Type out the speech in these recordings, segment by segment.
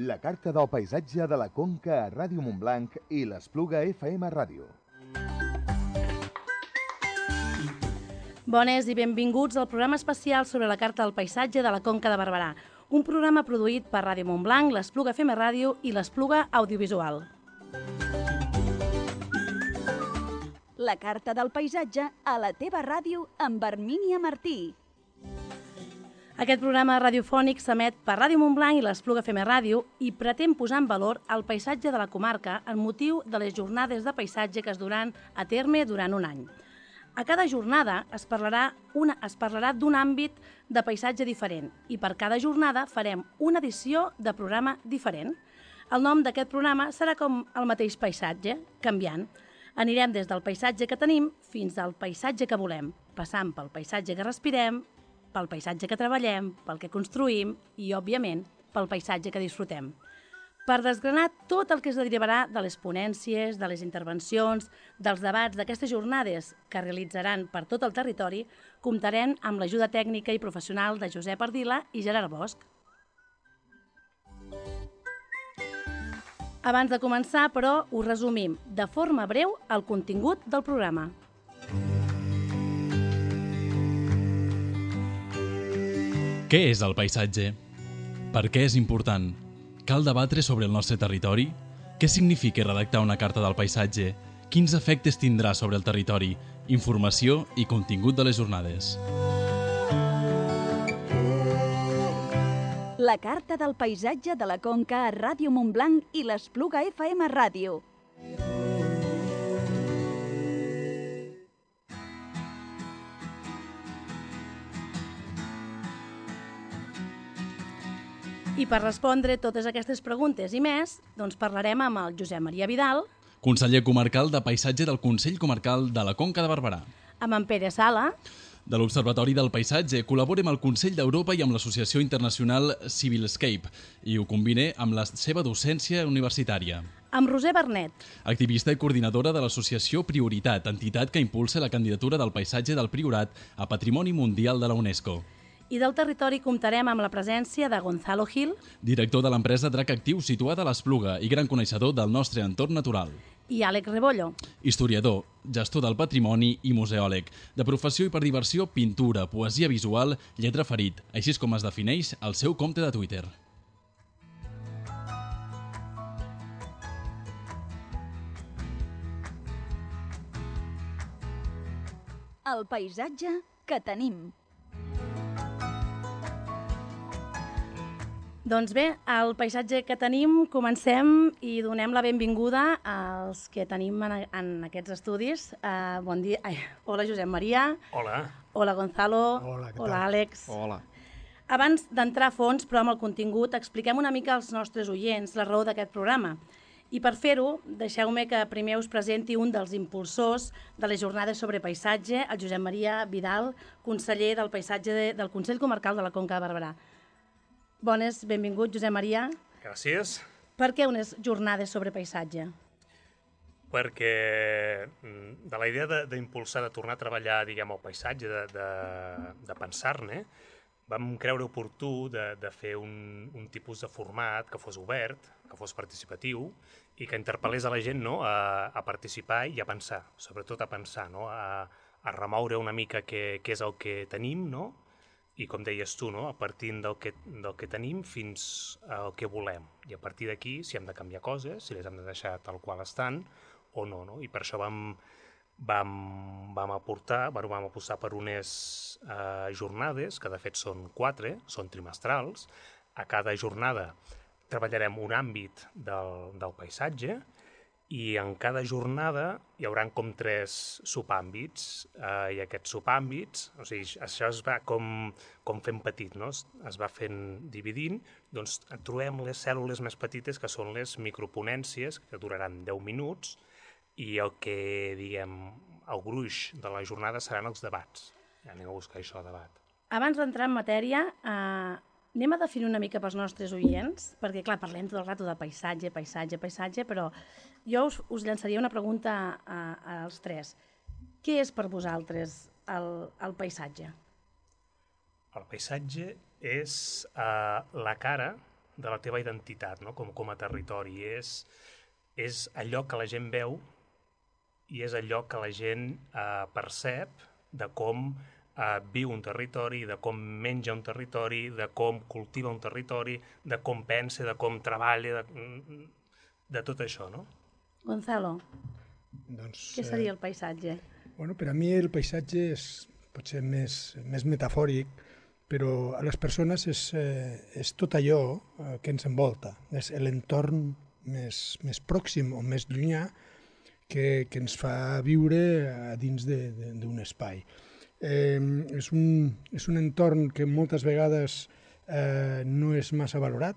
La carta del paisatge de la Conca a Ràdio Montblanc i l'Espluga FM Ràdio. Bones i benvinguts al programa especial sobre la carta del paisatge de la Conca de Barberà, un programa produït per Ràdio Montblanc, l'Espluga FM Ràdio i l'Espluga Audiovisual. La carta del paisatge a la teva ràdio amb Hermínia Martí. Aquest programa radiofònic s'emet per Ràdio Montblanc i l'Espluga FM Ràdio i pretén posar en valor el paisatge de la comarca en motiu de les jornades de paisatge que es duran a terme durant un any. A cada jornada es parlarà d'un àmbit de paisatge diferent i per cada jornada farem una edició de programa diferent. El nom d'aquest programa serà com el mateix paisatge, canviant. Anirem des del paisatge que tenim fins al paisatge que volem, passant pel paisatge que respirem, pel paisatge que treballem, pel que construïm i, òbviament, pel paisatge que disfrutem. Per desgranar tot el que es derivarà de les ponències, de les intervencions, dels debats d'aquestes jornades que realitzaran per tot el territori, comptarem amb l'ajuda tècnica i professional de Josep Ardila i Gerard Bosch. Abans de començar, però, us resumim de forma breu el contingut del programa. Què és el paisatge? Per què és important? Cal debatre sobre el nostre territori? Què significa redactar una carta del paisatge? Quins efectes tindrà sobre el territori? Informació i contingut de les jornades. La carta del paisatge de la Conca a Ràdio Montblanc i l'Espluga FM Ràdio. I per respondre totes aquestes preguntes i més, doncs parlarem amb el Josep Maria Vidal, Conseller comarcal de Paisatge del Consell Comarcal de la Conca de Barberà. amb en Pere Sala, De l'Observatori del Paisatge col·labora amb el Consell d'Europa i amb l'Associació Internacional Civilscape i ho combina amb la seva docència universitària. amb Roser Bernet, Activista i coordinadora de l'associació Prioritat, entitat que impulsa la candidatura del paisatge del Priorat a Patrimoni Mundial de la UNESCO. i del territori comptarem amb la presència de Gonzalo Gil Director de l'empresa Drac Actiu situada a l'Espluga i gran coneixedor del nostre entorn natural. i Àlex Rebollo. Historiador, gestor del patrimoni i museòleg. De professió i per diversió, pintura, poesia visual, lletra ferit, així és com es defineix el seu compte de Twitter. El paisatge que tenim. Doncs bé, el paisatge que tenim, comencem i donem la benvinguda als que tenim en aquests estudis. Bon dia. Hola, Josep Maria. Hola. Hola, Gonzalo. Hola, què tal? Hola, Àlex. Hola. Abans d'entrar a fons, però amb el contingut, expliquem una mica als nostres oients la raó d'aquest programa. I per fer-ho, deixeu-me que primer us presenti un dels impulsors de les jornades sobre paisatge, el Josep Maria Vidal, conseller del Paisatge del Consell Comarcal de la Conca de Barberà. Bones, benvingut, Josep Maria. Gràcies. Per què unes jornades sobre paisatge? Perquè de la idea d'impulsar, de tornar a treballar, diguem, el paisatge, de pensar-ne, vam creure oportú de fer un tipus de format que fos obert, que fos participatiu i que interpel·lés a la gent, no?, a participar i a pensar, sobretot a pensar, no?, a remoure una mica què és el que tenim, no?, i com deies tu, no?, a partir del que tenim fins al que volem. I a partir d'aquí, si hem de canviar coses, si les hem de deixar tal qual estan o no, no? I per això vam apostar per unes jornades, que de fet són 4, són trimestrals. A cada jornada treballarem un àmbit del paisatge i en cada jornada hi haurà com 3 subàmbits i aquests subàmbits, o sigui, això es va com fent petit, no? Es va fent dividint, doncs trobem les cèl·lules més petites que són les microponències que duraran 10 minuts i el que, diguem, el gruix de la jornada seran els debats. Ja anem a buscar això, debat. Abans d'entrar en matèria, anem a definir una mica pels nostres oients, perquè, clar, parlem tot el rato de paisatge, però jo us llançaria una pregunta als 3. Què és per vosaltres el paisatge? El paisatge és la cara la teva identitat, no? com a territori. És allò que la gent veu i és allò que la gent percep de com viu un territori, de com menja un territori, de com cultiva un territori, de com pensa, de com treballa, de tot això, no? Gonzalo, Doncs, què seria el paisatge? Bueno, per a mi el paisatge és potser més metafòric, però a les persones és tot allò que ens envolta, és l'entorn més pròxim o més llunyà que ens fa viure a dins d'un espai. És un entorn que moltes vegades no és massa valorat,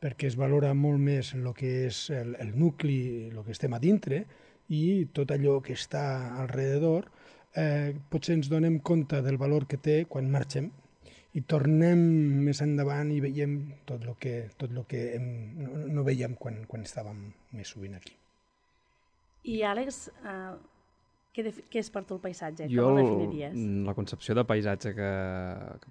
perquè es valora molt més el que és el nucli, el que estem a dintre, i tot allò que està alrededor, potser ens donem compte del valor que té quan marxem i tornem més endavant i veiem tot el que no veiem quan estàvem més sovint aquí. I Àlex, què és per tu el paisatge? Jo, Com ho definiries? la concepció de paisatge que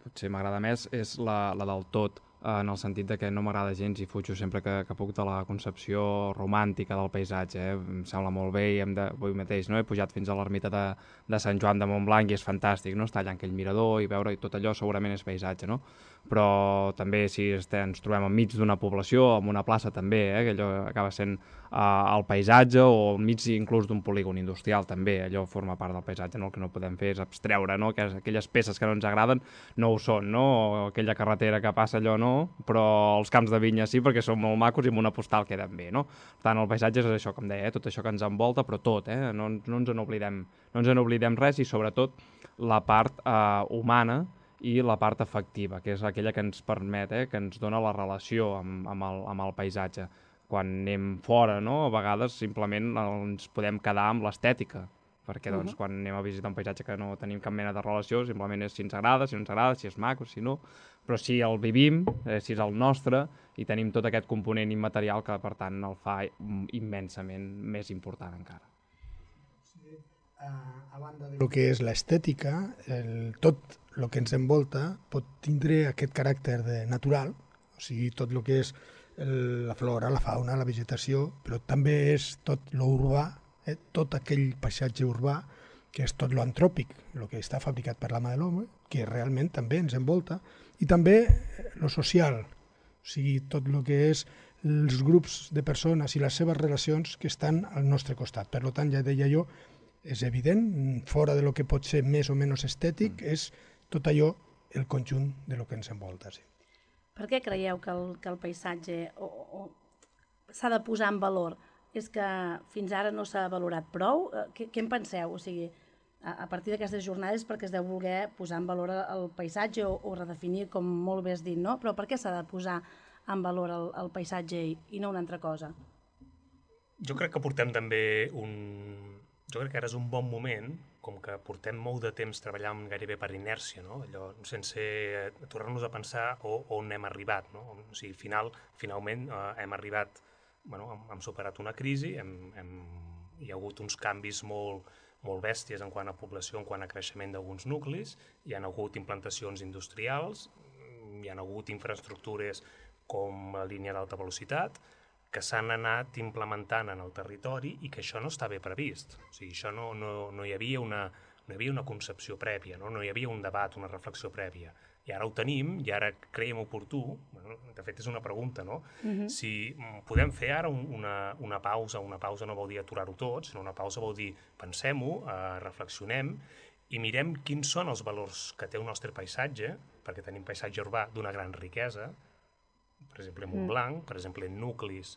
potser m'agrada més és la del tot, en el sentit de que no m'agrada gens i fujo sempre que puc de la concepció romàntica del paisatge. Em sembla molt bé i avui mateix he pujat fins a l'ermita de Sant Joan de Montblanc i és fantàstic, no? Estar allà en aquell mirador i veure tot allò segurament és paisatge, no? Però també si ens trobem enmig d'una població, en una plaça també, que allò acaba sent el paisatge, o enmig inclús d'un polígon industrial també, allò forma part del paisatge, no? El que no podem fer és abstreure, no? Que aquelles peces que no ens agraden no ho són, no? O aquella carretera que passa allò no, però els camps de vinya sí, perquè són molt macos i amb una postal queden bé, no? Per tant, el paisatge és això, com deia, tot això que ens envolta, però tot, no ens n'oblidem res, i sobretot la part humana i la part afectiva, que és aquella que ens permet, que ens dona la relació amb el paisatge. Quan anem fora, no? A vegades simplement ens podem quedar amb l'estètica, perquè doncs, quan anem a visitar un paisatge que no tenim cap mena de relació, simplement és si ens agrada, si no ens agrada, si és maco, si no, però si el vivim, si és el nostre, i tenim tot aquest component immaterial que, per tant, el fa immensament més important encara. A banda del que és l'estètica, tot el que ens envolta pot tindre aquest caràcter natural, o sigui, tot el que és la flora, la fauna, la vegetació, però també és tot l'urbà, tot aquell paisatge urbà que és tot l'antròpic, el que està fabricat per la mà de l'home, que realment també ens envolta, i també lo social, o sigui, tot el que és els grups de persones i les seves relacions que estan al nostre costat. Per tant, ja deia jo, és evident, fora de lo que pot ser més o menys estètic, és tot allò, el conjunt de lo que ens envolta. Sí. Per què creieu que el paisatge s'ha de posar en valor? És que fins ara no s'ha valorat prou? Què en penseu? O sigui, a partir d'aquestes jornades perquè es deu voler posar en valor el paisatge o redefinir, com molt bé has dit, no? Però per què s'ha de posar en valor el paisatge i no una altra cosa? Jo crec que portem també Jo crec que ara és un bon moment, com que portem molt de temps treballant gairebé per inèrcia, no? Allò, sense aturar-nos a pensar on hem arribat, no? O sigui, finalment hem arribat, hem superat una crisi, hi ha hagut uns canvis molt bèsties en quant a població, en quant a creixement d'alguns nuclis, hi ha hagut implantacions industrials, hi ha hagut infraestructures com la línia d'alta velocitat, que s'han anat implementant en el territori i que això no està bé previst. O sigui, això no hi havia una concepció prèvia, no hi havia un debat, una reflexió prèvia. I ara ho tenim, i ara creiem oportú, de fet és una pregunta, no? Si podem fer ara una pausa no vol dir aturar-ho tot, sinó una pausa vol dir pensem-ho, reflexionem i mirem quins són els valors que té el nostre paisatge, perquè tenim paisatge urbà d'una gran riquesa, per exemple, en Montblanc, per exemple, en nuclis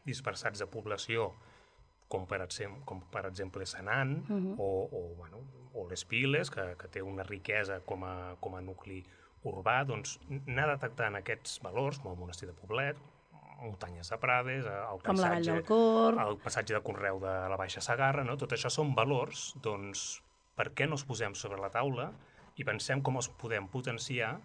dispersats de població, com per exemple Senan, o les Piles, que té una riquesa com a nucli urbà, doncs anar detectant aquests valors, com el monestir de Poblet, muntanyes de Prades, com la Vall del Cor, el passatge de Conreu de la Baixa Segarra, no? Tot això són valors, doncs per què no els posem sobre la taula i pensem com els podem potenciar.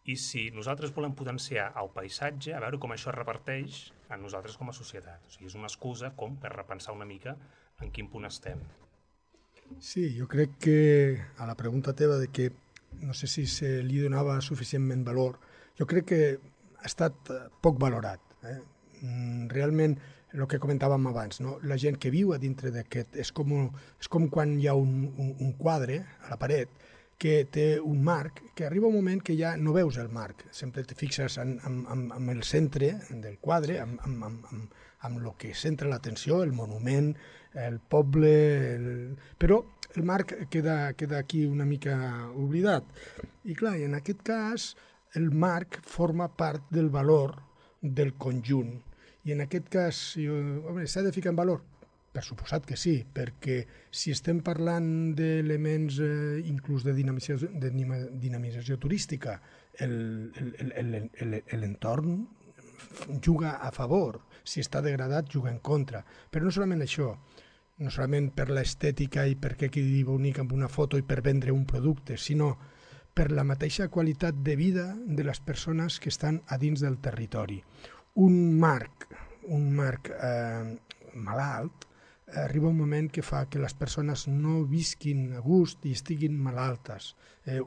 I si nosaltres volem potenciar el paisatge, a veure com això es reparteix en nosaltres com a societat. O sigui, és una excusa com per repensar una mica en quin punt estem. Sí, jo crec que a la pregunta teva de que no sé si se li donava suficientment valor, jo crec que estat poc valorat. Realment, el que comentàvem abans, no? La gent que viu a dintre d'aquest és com quan hi ha un quadre a la paret que té un marc, que arriba un moment que ja no veus el marc, sempre te fixes en el centre del quadre, amb el que centra l'atenció, el monument, el poble, però el marc queda aquí una mica oblidat. I clar, en aquest cas, el marc forma part del valor del conjunt. I en aquest cas, s'ha de ficar en valor? Per suposat que sí, perquè si estem parlant d'elements inclús de dinamització turística, l'entorn juga a favor, si està degradat juga en contra. Però no solament això, no solament per l'estètica i perquè quedi bonic amb una foto i per vendre un producte, sinó per la mateixa qualitat de vida de les persones que estan a dins del territori. Un marc malalt arriba un moment que fa que les persones no visquin a gust i estiguin malaltes.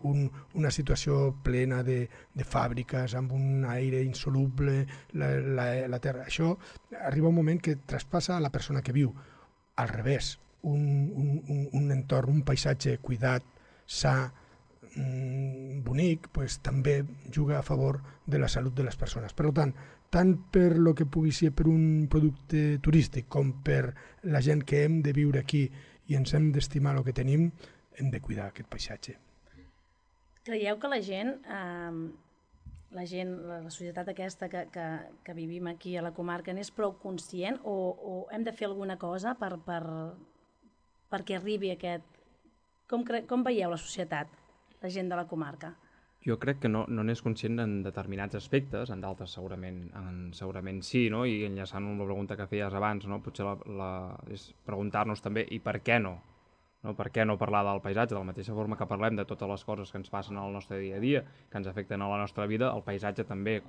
Una situació plena de fàbriques amb un aire insoluble, la terra. Això arriba un moment que traspassa a la persona que viu. Al revés, un entorn, un paisatge cuidat, sa, bonic, també juga a favor de la salut de les persones. Per tant, tant per lo que pugui ser per un producte turístic com per la gent que hem de viure aquí i ens hem d'estimar el que tenim, hem de cuidar aquest paisatge. Creieu que la societat aquesta que vivim aquí a la comarca n'és prou conscient o hem de fer alguna cosa perquè arribi aquest... Com veieu la societat, la gent de la comarca? Jo crec que no n'és conscient en determinats aspectes, en d'altres segurament sí, no? I enllaçant amb la pregunta que feies abans, no? Potser és preguntar-nos també i per què no? Per què no parlar del paisatge? De la mateixa forma que parlem de totes les coses que ens passen al nostre dia a dia, que ens afecten a la nostra vida, el paisatge també,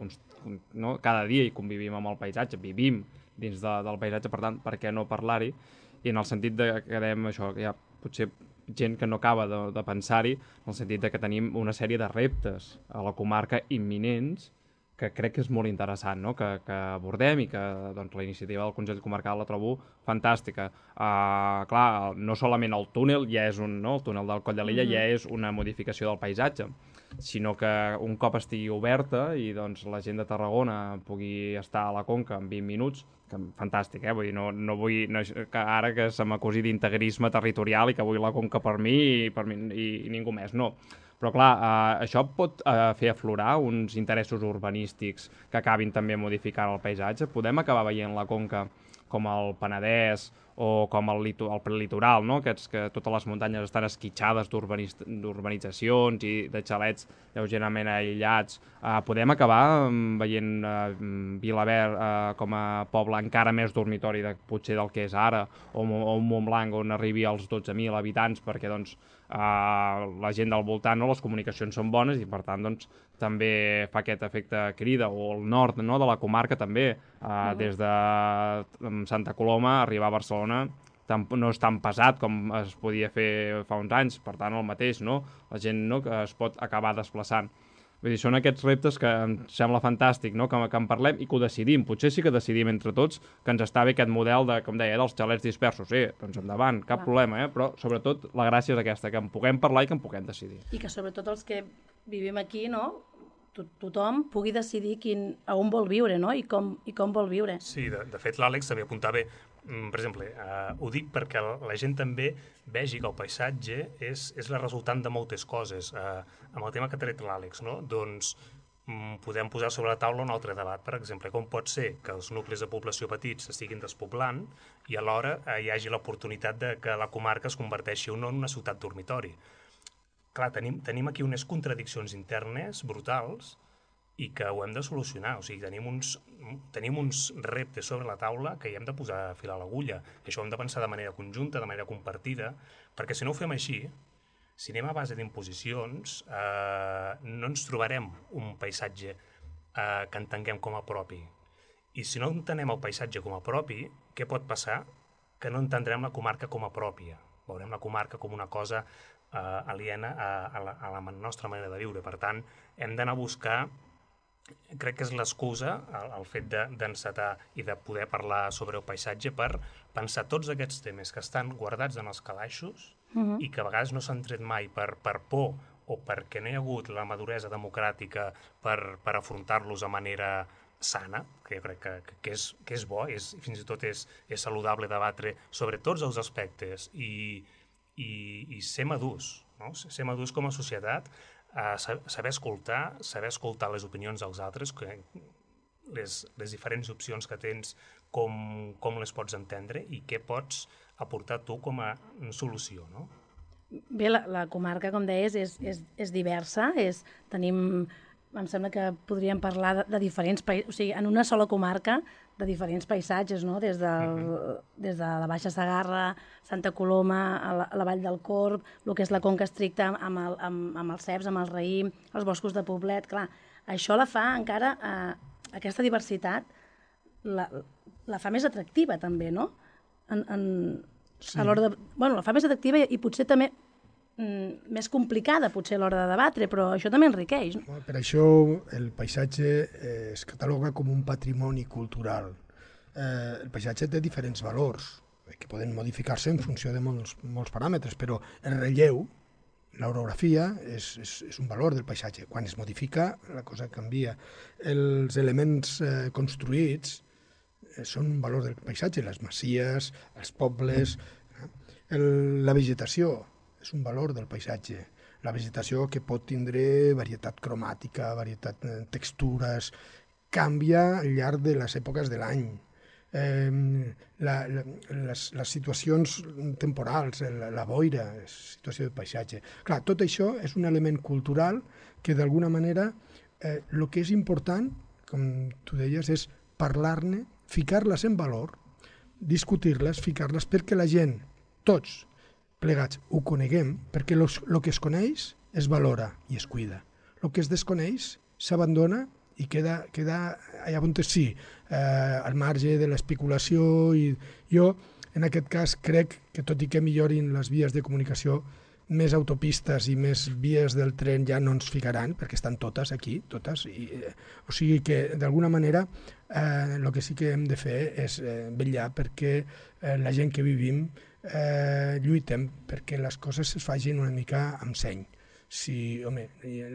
no? Cada dia hi convivim amb el paisatge, vivim dins del paisatge, per tant, per què no parlar-hi? I en el sentit que dèiem això, que hi ha potser gent que no acaba de pensar-hi, en el sentit que tenim una sèrie de reptes a la comarca imminents que crec que és molt interessant, no? Que abordem i que doncs, la iniciativa del Consell Comarcal la trobo fantàstica. Clar, no solament el túnel ja és el túnel del Coll de l'Illa ja és una modificació del paisatge, sinó que un cop estigui oberta i doncs, la gent de Tarragona pugui estar a la Conca en 20 minuts, que fantàstic, vull dir, no vull que ara que se m'acusi d'integrisme territorial i que vull la Conca per mi i ningú més, no. Però clar, això pot fer aflorar uns interessos urbanístics que acabin també modificant el paisatge. Podem acabar veient la Conca com el Penedès o com el prelitoral, no? Que totes les muntanyes estan esquitxades d'urbanitzacions i de xalets lleugerament aïllats. Podem acabar veient Vilaverd com a poble encara més dormitori potser del que és ara, o un Montblanc on arribi als 12.000 habitants perquè doncs, la gent del voltant, les comunicacions són bones i per tant doncs, també fa aquest efecte crida, o el nord de la comarca també, des de Santa Coloma arribar a Barcelona no és tan pesat com es podia fer fa uns anys, per tant el mateix, no? La gent que es pot acabar desplaçant. Vull dir, són aquests reptes que em sembla fantàstic, no? Que en parlem i que ho decidim. Potser sí que decidim entre tots que ens està bé aquest model com deia, dels xalets dispersos. Doncs endavant, cap problema, però sobretot la gràcia és aquesta, que en puguem parlar i que en puguem decidir. I que sobretot els que vivim aquí, no? Tothom pugui decidir a on vol viure, no? I com vol viure. Sí, de fet l'Àlex també apuntava, per exemple, ho dic perquè la gent també vegi que el paisatge és la resultant de moltes coses. Amb el tema que ha tret l'Àlex, no? Doncs podem posar sobre la taula un altre debat, per exemple, com pot ser que els nuclis de població petits s'estiguin despoblant i alhora hi hagi l'oportunitat de que la comarca es converteixi en una ciutat dormitori. Clar, tenim aquí unes contradiccions internes brutals i que ho hem de solucionar. O sigui, tenim uns reptes sobre la taula que hi hem de posar fil a l'agulla. I això ho hem de pensar de manera conjunta, de manera compartida, perquè si no ho fem així, si anem a base d'imposicions, no ens trobarem un paisatge que entenguem com a propi. I si no entenem el paisatge com a propi, què pot passar? Que no entendrem la comarca com a pròpia. Veurem la comarca com una cosa aliena a la nostra manera de viure. Per tant, hem d'anar a buscar crec que és l'excusa, el fet d'encetar i de poder parlar sobre el paisatge per pensar tots aquests temes que estan guardats en els calaixos i que a vegades no s'han tret mai per por o perquè no hi ha hagut la maduresa democràtica per afrontar-los de manera sana, que jo crec que és bo, fins i tot és saludable debatre sobre tots els aspectes i ser madurs, no? Ser madurs com a societat, saber escoltar les opinions dels altres, les diferents opcions que tens, com les pots entendre i què pots aportar tu com a solució, no? Bé, la comarca, com deies, és diversa, em sembla que podríem parlar de diferents països, o sigui, en una sola comarca, de diferents paisatges, no? Des de la Baixa Segarra, Santa Coloma, a la Vall del Corb, el que és la Conca Estricta amb els ceps, amb el raïm, els boscos de Poblet, clar, això la fa encara, aquesta diversitat, la fa més atractiva també, no? Sí. A l'hora de... Bueno, la fa més atractiva i potser també més complicada, potser a l'hora de debatre, però això també enriqueix. No? Per això el paisatge es cataloga com un patrimoni cultural. El paisatge té diferents valors, que poden modificar-se en funció de molts paràmetres, però el relleu, l'orografia, és un valor del paisatge. Quan es modifica, la cosa canvia. Els elements construïts són un valor del paisatge, les masies, els pobles, la vegetació és un valor del paisatge. La vegetació que pot tindre varietat cromàtica, varietat de textures, canvia al llarg de les èpoques de l'any. Les situacions temporals, la boira, és situació de paisatge. Clar, tot això és un element cultural que d'alguna manera el que és important, com tu deies, és parlar-ne, ficar-les en valor, discutir-les, ficar-les perquè la gent, tots plegats, ho coneguem, perquè el que es coneix es valora i es cuida. El que es desconeix s'abandona i queda allà on sí, al marge de l'especulació. I jo, en aquest cas, crec que tot i que millorin les vies de comunicació, més autopistes i més vies del tren ja no ens ficaran, perquè estan totes aquí, totes. O sigui que, d'alguna manera, el que sí que hem de fer és vetllar perquè la gent que vivim lluitem perquè les coses es facin una mica amb seny. Si, home,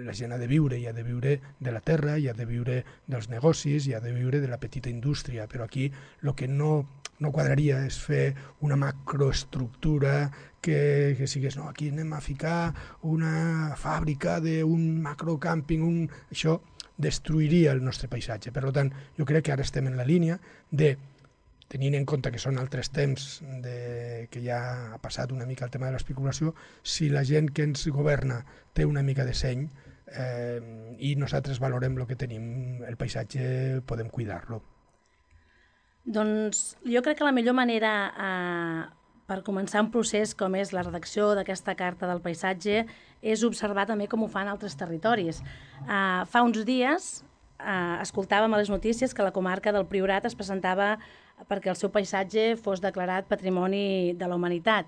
la gent ha de viure, i ha de viure de la terra, i ha de viure dels negocis, i ha de viure de la petita indústria, però aquí el que no quadraria és fer una macroestructura que sigués, no, aquí anem a ficar una fàbrica d'un macrocàmping, això destruiria el nostre paisatge. Per tant, jo crec que ara estem en la línia de, tenint en compte que són altres temps, que ja ha passat una mica el tema de l'especulació, si la gent que ens governa té una mica de seny i nosaltres valorem el que tenim, el paisatge podem cuidar-lo. Doncs jo crec que la millor manera per començar un procés com és la redacció d'aquesta Carta del Paisatge és observar també com ho fan altres territoris. Fa uns dies escoltàvem a les notícies que la comarca del Priorat es presentava perquè el seu paisatge fos declarat Patrimoni de la Humanitat.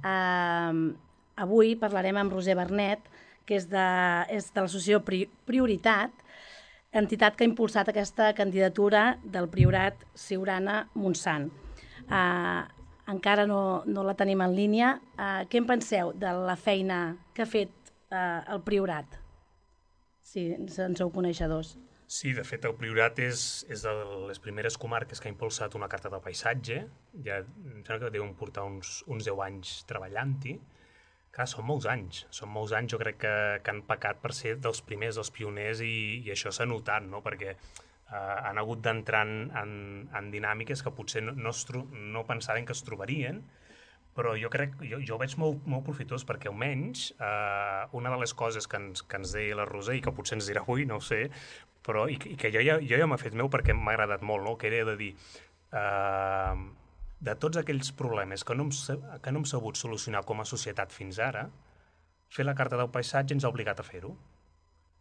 Avui parlarem amb Roser Bernet, que és de l'associació Prioritat, entitat que ha impulsat aquesta candidatura del Priorat Siurana-Montsant. Encara no la tenim en línia. Què en penseu de la feina que ha fet el Priorat? Si en sou coneixedors. Sí, de fet, el Priorat és de les primeres comarques que ha impulsat una carta del paisatge. Ja em sembla que deuen portar uns 10 anys treballant-hi. Clar, són molts anys, jo crec que han pecat per ser dels primers, dels pioners, i això s'ha notat, no? Perquè han hagut d'entrar en dinàmiques que potser no pensaven que es trobarien, però jo ho veig molt profitós, perquè almenys una de les coses que ens deia la Roser, i que potser ens dirà avui, no ho sé, però i que jo ja m'ha fet meu perquè m'ha agradat molt, no? Que era de dir, de tots aquells problemes que no hem sabut solucionar com a societat fins ara, fer la Carta del Paisatge ens ha obligat a fer-ho.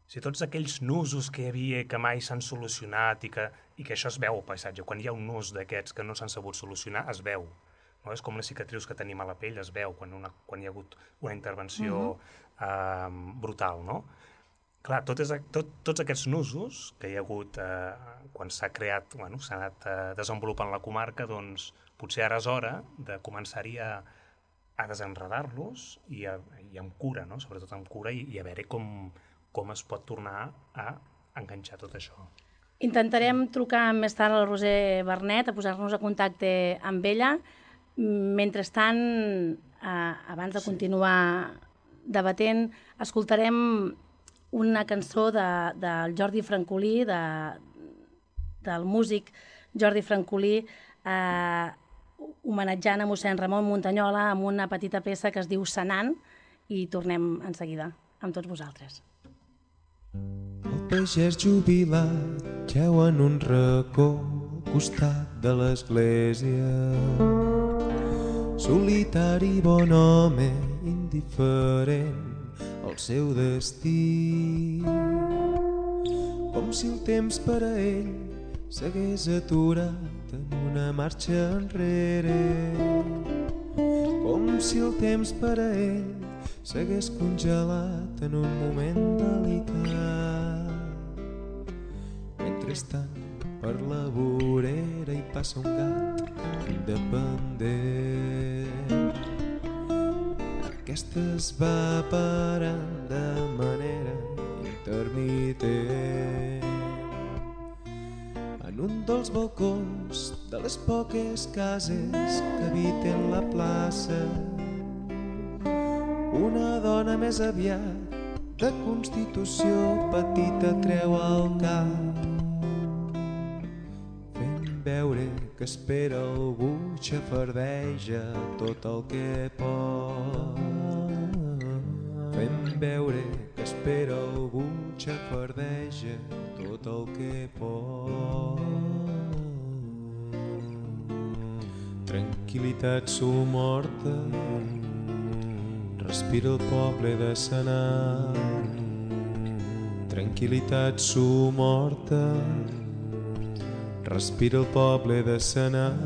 Si tots aquells nusos que hi havia que mai s'han solucionat i que això es veu al paisatge, quan hi ha un nus d'aquests que no s'han sabut solucionar, es veu. No? És com les cicatrius que tenim a la pell, es veu quan hi ha hagut una intervenció brutal. No? Clar, tots aquests nusos que hi ha hagut quan s'ha creat, s'ha anat desenvolupant la comarca, doncs potser ara és hora de començar-hi a desenredar-los i amb cura, no? Sobretot amb cura i a veure com es pot tornar a enganxar tot això. Intentarem trucar més tard a la Roser Bernet, a posar-nos a contacte amb ella. Mentrestant, abans de continuar debatent, escoltarem una cançó del Jordi Francolí, del músic Jordi Francolí, homenatjant a mossèn Ramon Muntanyola amb una petita peça que es diu Sanant, i tornem en seguida amb tots vosaltres. El pagès jubilat jeu en un racó al costat de l'església. Solitari bon home, indiferent al seu destí. Com si el temps per a ell s'hagués aturat en una marxa enrere. Com si el temps per a ell s'hagués congelat en un moment delicat. Mentrestant, per la vorera hi passa un gat independent. Aquesta es va parant de manera intermitent en un dels balcons de les poques cases que habiten la plaça. Una dona més aviat de constitució petita treu al cap, fent veure que espera algú, xafardeja tot el que pot. Fent veure que espera algú, xafardeja tot el que pot. Tranquil·litat somorta, respira el poble de Sanant. Tranquil·litat somorta, respira el poble de Sanant.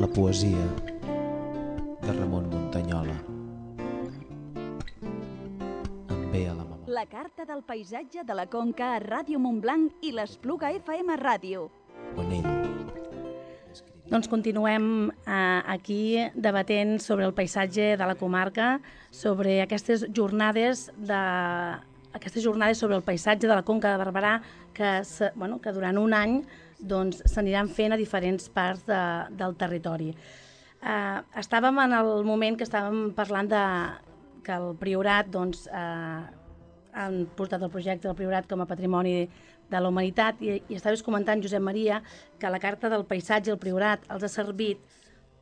La poesia de Ramon Muntanyola. Em ve a la memòria. La carta del paisatge de la Conca a Ràdio Montblanc i l'Espluga FM Ràdio. On ell. Doncs continuem aquí debatent sobre el paisatge de la comarca, sobre aquestes jornades sobre el paisatge de la Conca de Barberà que durant un any s'aniran fent a diferents parts del territori. Estàvem en el moment que estàvem parlant que el Priorat han portat el projecte del Priorat com a patrimoni de la humanitat i estaves comentant, Josep Maria, que la carta del paisatge, el Priorat, els ha servit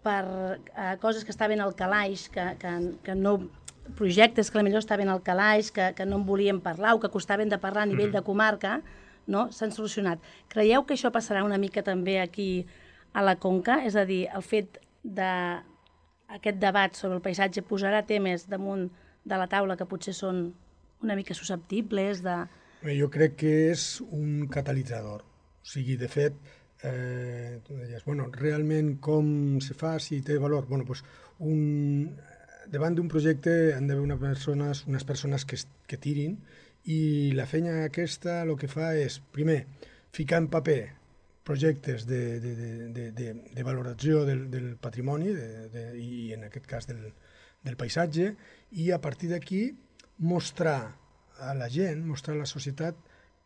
per coses que estaven al calaix, que no, projectes que potser estaven al calaix, que no en volien parlar o que costaven de parlar a nivell de comarca, no? S'han solucionat. Creieu que això passarà una mica també aquí a la Conca? És a dir, el fet d'aquest debat sobre el paisatge posarà temes damunt de la taula que potser són una mica susceptibles de... Jo crec que és un catalitzador. O sigui, de fet, tu deies, realment com se fa, si té valor? Davant d'un projecte han d'haver unes persones que tirin, i la feina aquesta el que fa és, primer, ficar en paper projectes de valoració del patrimoni i en aquest cas del paisatge, i a partir d'aquí mostrar a la gent, mostrar a la societat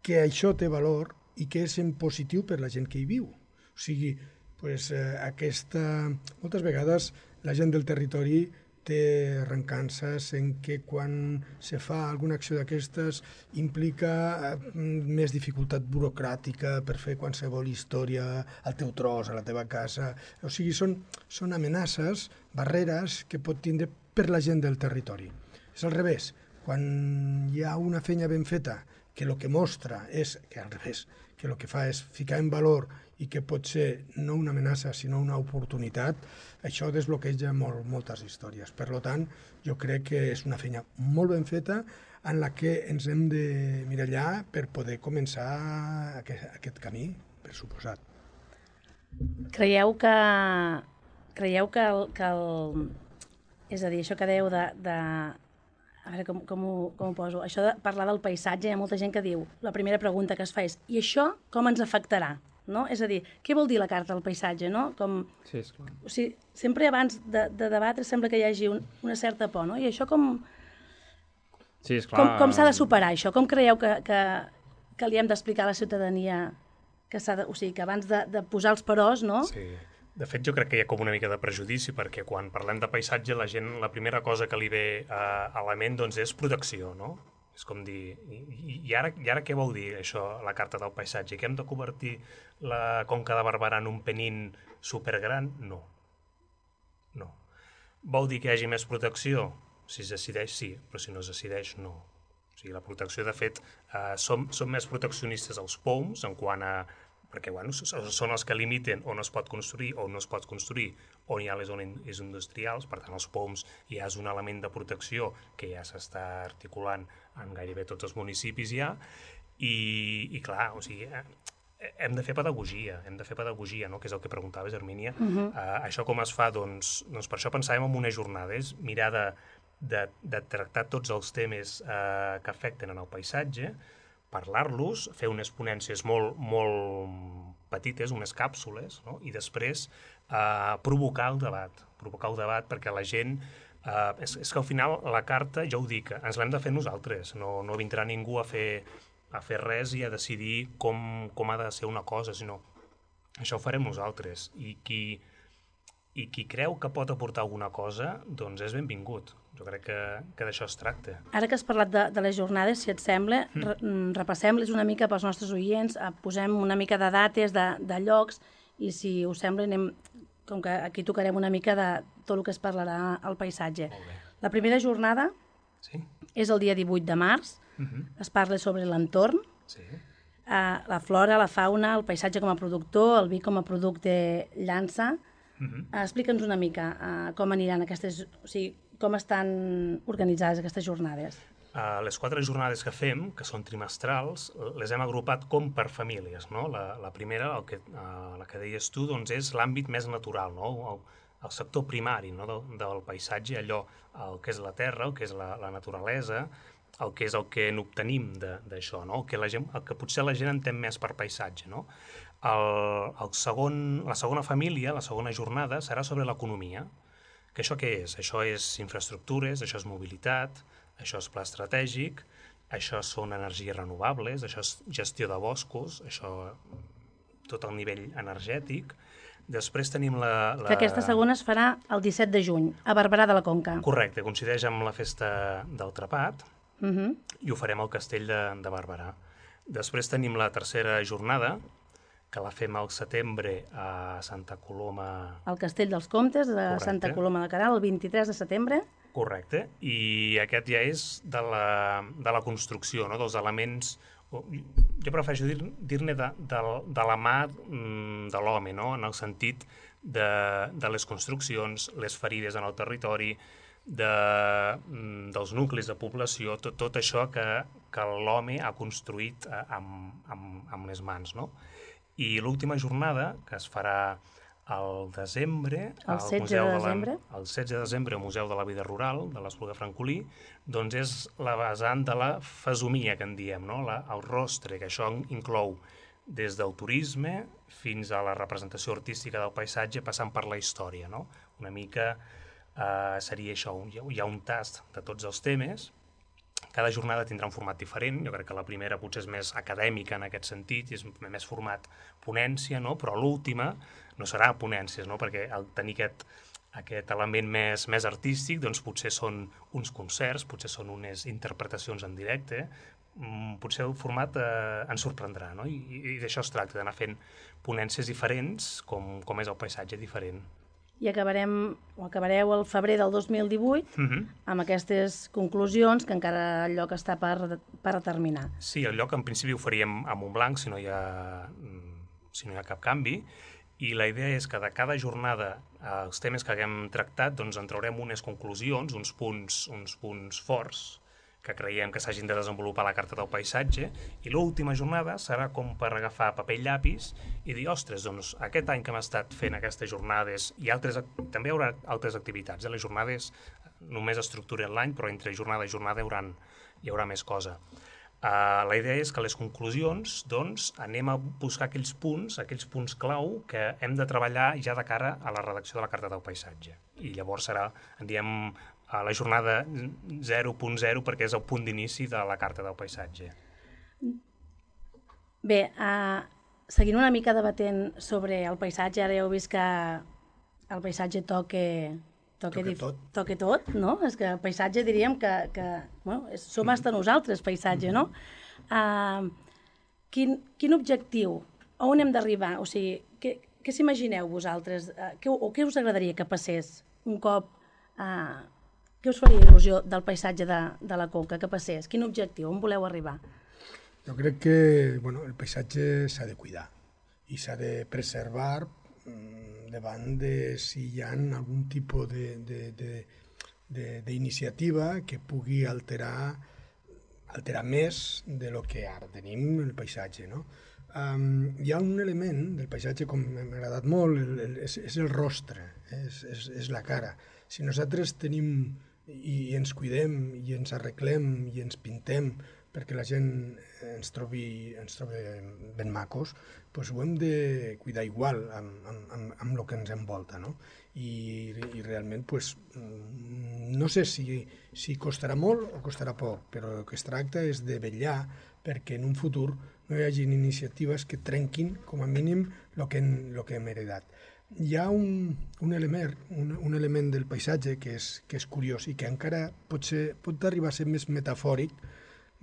que això té valor i que és en positiu per la gent que hi viu. O sigui, moltes vegades la gent del territori té arrencances en què quan se fa alguna acció d'aquestes implica més dificultat burocràtica per fer qualsevol història al teu tros, a la teva casa. O sigui, són amenaces, barreres que pot tindre per la gent del territori. És al revés. Quan hi ha una feina ben feta que el que mostra és que al revés, que el que fa és ficar en valor i que pot ser no una amenaça sinó una oportunitat, això desbloqueja moltes històries. Per tant, jo crec que és una feina molt ben feta en la que ens hem de mirallar per poder començar aquest camí, per suposat. Creieu que és a dir, això que dèieu a veure com ho poso, això de parlar del paisatge, hi ha molta gent que diu, la primera pregunta que es fa és, i això com ens afectarà? No? És a dir, què vol dir la carta del paisatge? No? Sí, esclar. O sigui, sempre abans de debatre sembla que hi hagi una certa por, no? I això com s'ha de superar, això? Com creieu que li hem d'explicar a la ciutadania que abans de posar els peròs, no? Sí. De fet, jo crec que hi ha com una mica de prejudici, perquè quan parlem de paisatge, la gent, la primera cosa que li ve a la ment doncs, és protecció, no? És com dir, i ara què vol dir això, la carta del paisatge? Que hem de convertir la Conca de Barberà en un penín supergran? No. Vol dir que hi hagi més protecció? Si es decideix, sí, però si no es decideix, no. O sigui, la protecció, de fet, som més proteccionistes als POUMs en quant a perquè són els que limiten on es pot construir o no es pot construir, on hi ha les zones industrials, per tant els POUMs ja és un element de protecció que ja s'està articulant en gairebé tots els municipis ja, i clar, o sigui, hem de fer pedagogia, no? Que és el que preguntaves, Hermínia. Això com es fa? Doncs per això pensàvem en una jornada, és mirar de tractar tots els temes que afecten en el paisatge, parlar-los, fer unes ponències molt petites, unes càpsules, no? I després provocar el debat perquè la gent... És que al final la carta, ja ho dic, ens l'hem de fer nosaltres, no vindrà ningú a fer res i a decidir com ha de ser una cosa, sinó això ho farem nosaltres. I qui creu que pot aportar alguna cosa, doncs és benvingut. Jo crec que d'això es tracta. Ara que has parlat de les jornades, si et sembla, repassem-les una mica pels nostres oients, posem una mica de dates, de llocs, i si us sembla, com que aquí tocarem una mica de tot el que es parlarà al paisatge. La primera jornada és el dia 18 de març, es parla sobre l'entorn, la flora, la fauna, el paisatge com a productor, el vi com a producte llança. Explica'ns una mica com aniran aquestes... O sigui, com estan organitzades aquestes jornades? Les 4 jornades que fem, que són trimestrals, les hem agrupat com per famílies, no? La primera, la que deies tu, doncs és l'àmbit més natural, no? El sector primari, no? Del paisatge, allò, el que és la terra, el que és la naturalesa, el que és el que n'obtenim d'això, no? El que potser la gent entén més per paisatge, no? La segona família, la segona jornada, serà sobre l'economia. Que això què és? Això és infraestructures, això és mobilitat, això és pla estratègic, això són energies renovables, això és gestió de boscos, això tot el nivell energètic. Després tenim Que aquesta segona es farà el 17 de juny, a Barberà de la Conca. Correcte, coincideix amb la festa del Trepat i ho farem al castell de Barberà. Després tenim la tercera jornada, que la fem al setembre a Santa Coloma... Al Castell dels Comtes de Santa Coloma de Queralt, el 23 de setembre. Correcte, i aquest ja és de la construcció, no? Dels elements... Jo prefereixo dir-ne de la mà de l'home, no? En el sentit de les construccions, les ferides en el territori, dels nuclis de població, tot això que l'home ha construït amb les mans, no? I l'última jornada, que es farà al desembre... El 16 de desembre. El 16 de desembre al Museu de la Vida Rural, de l'Espluga Francolí, doncs és la vessant de la fesomia, que en diem, no? El rostre, que això inclou des del turisme fins a la representació artística del paisatge, passant per la història, no? Una mica seria això, hi ha un tast de tots els temes. Cada jornada tindrà un format diferent, jo crec que la primera potser és més acadèmica en aquest sentit, és més format ponència, no? Però l'última no serà ponències, no? Perquè al tenir aquest element més artístic, doncs potser són uns concerts, potser són unes interpretacions en directe, potser el format ens sorprendrà, no? I d'això es tracta, d'anar fent ponències diferents, com és el paisatge diferent. I acabareu el febrer del 2018 amb aquestes conclusions que encara el lloc està per determinar. Sí, el lloc en principi ho faríem a Montblanc, si no hi ha si no hi ha cap canvi, i la idea és que de cada jornada, els temes que haguem tractat, doncs en traurem unes conclusions, uns punts forts que creiem que s'hagin de desenvolupar a la carta del paisatge, i l'última jornada serà com per agafar paper i llapis i dir, ostres, doncs aquest any que hem estat fent aquestes jornades, i també hi haurà altres activitats, les jornades només estructuren l'any, però entre jornada i jornada hi haurà més cosa. La idea és que les conclusions, doncs, anem a buscar aquells punts clau que hem de treballar ja de cara a la redacció de la carta del paisatge. I llavors serà, en diem, la jornada 0.0 perquè és el punt d'inici de la carta del paisatge. Bé, seguint una mica debatent sobre el paisatge, ara ja heu vist que el paisatge toca tot, no? És que el paisatge diríem que som hasta nosaltres, paisatge, no? Quin objectiu? On hem d'arribar? O sigui, què s'imagineu vosaltres? O què us agradaria que passés un cop... Què us faria il·lusió del paisatge de la Conca, que passés? Quin objectiu? On voleu arribar? Jo crec que el paisatge s'ha de cuidar i s'ha de preservar davant de si hi ha algun tipus d'iniciativa que pugui alterar més de lo que ara tenim el paisatge, no? Hi ha un element del paisatge com m'ha agradat molt, és el rostre, és la cara. Si nosaltres tenim i ens cuidem i ens arreglem i ens pintem perquè la gent ens trobi ben macos, doncs ho hem de cuidar igual amb el que ens envolta, no? I realment, no sé si costarà molt o costarà poc, però el que es tracta és de vetllar perquè en un futur no hi hagi iniciatives que trenquin, com a mínim, el que hem heredat. Hi ha un element del paisatge que és curiós i que encara pot arribar a ser més metafòric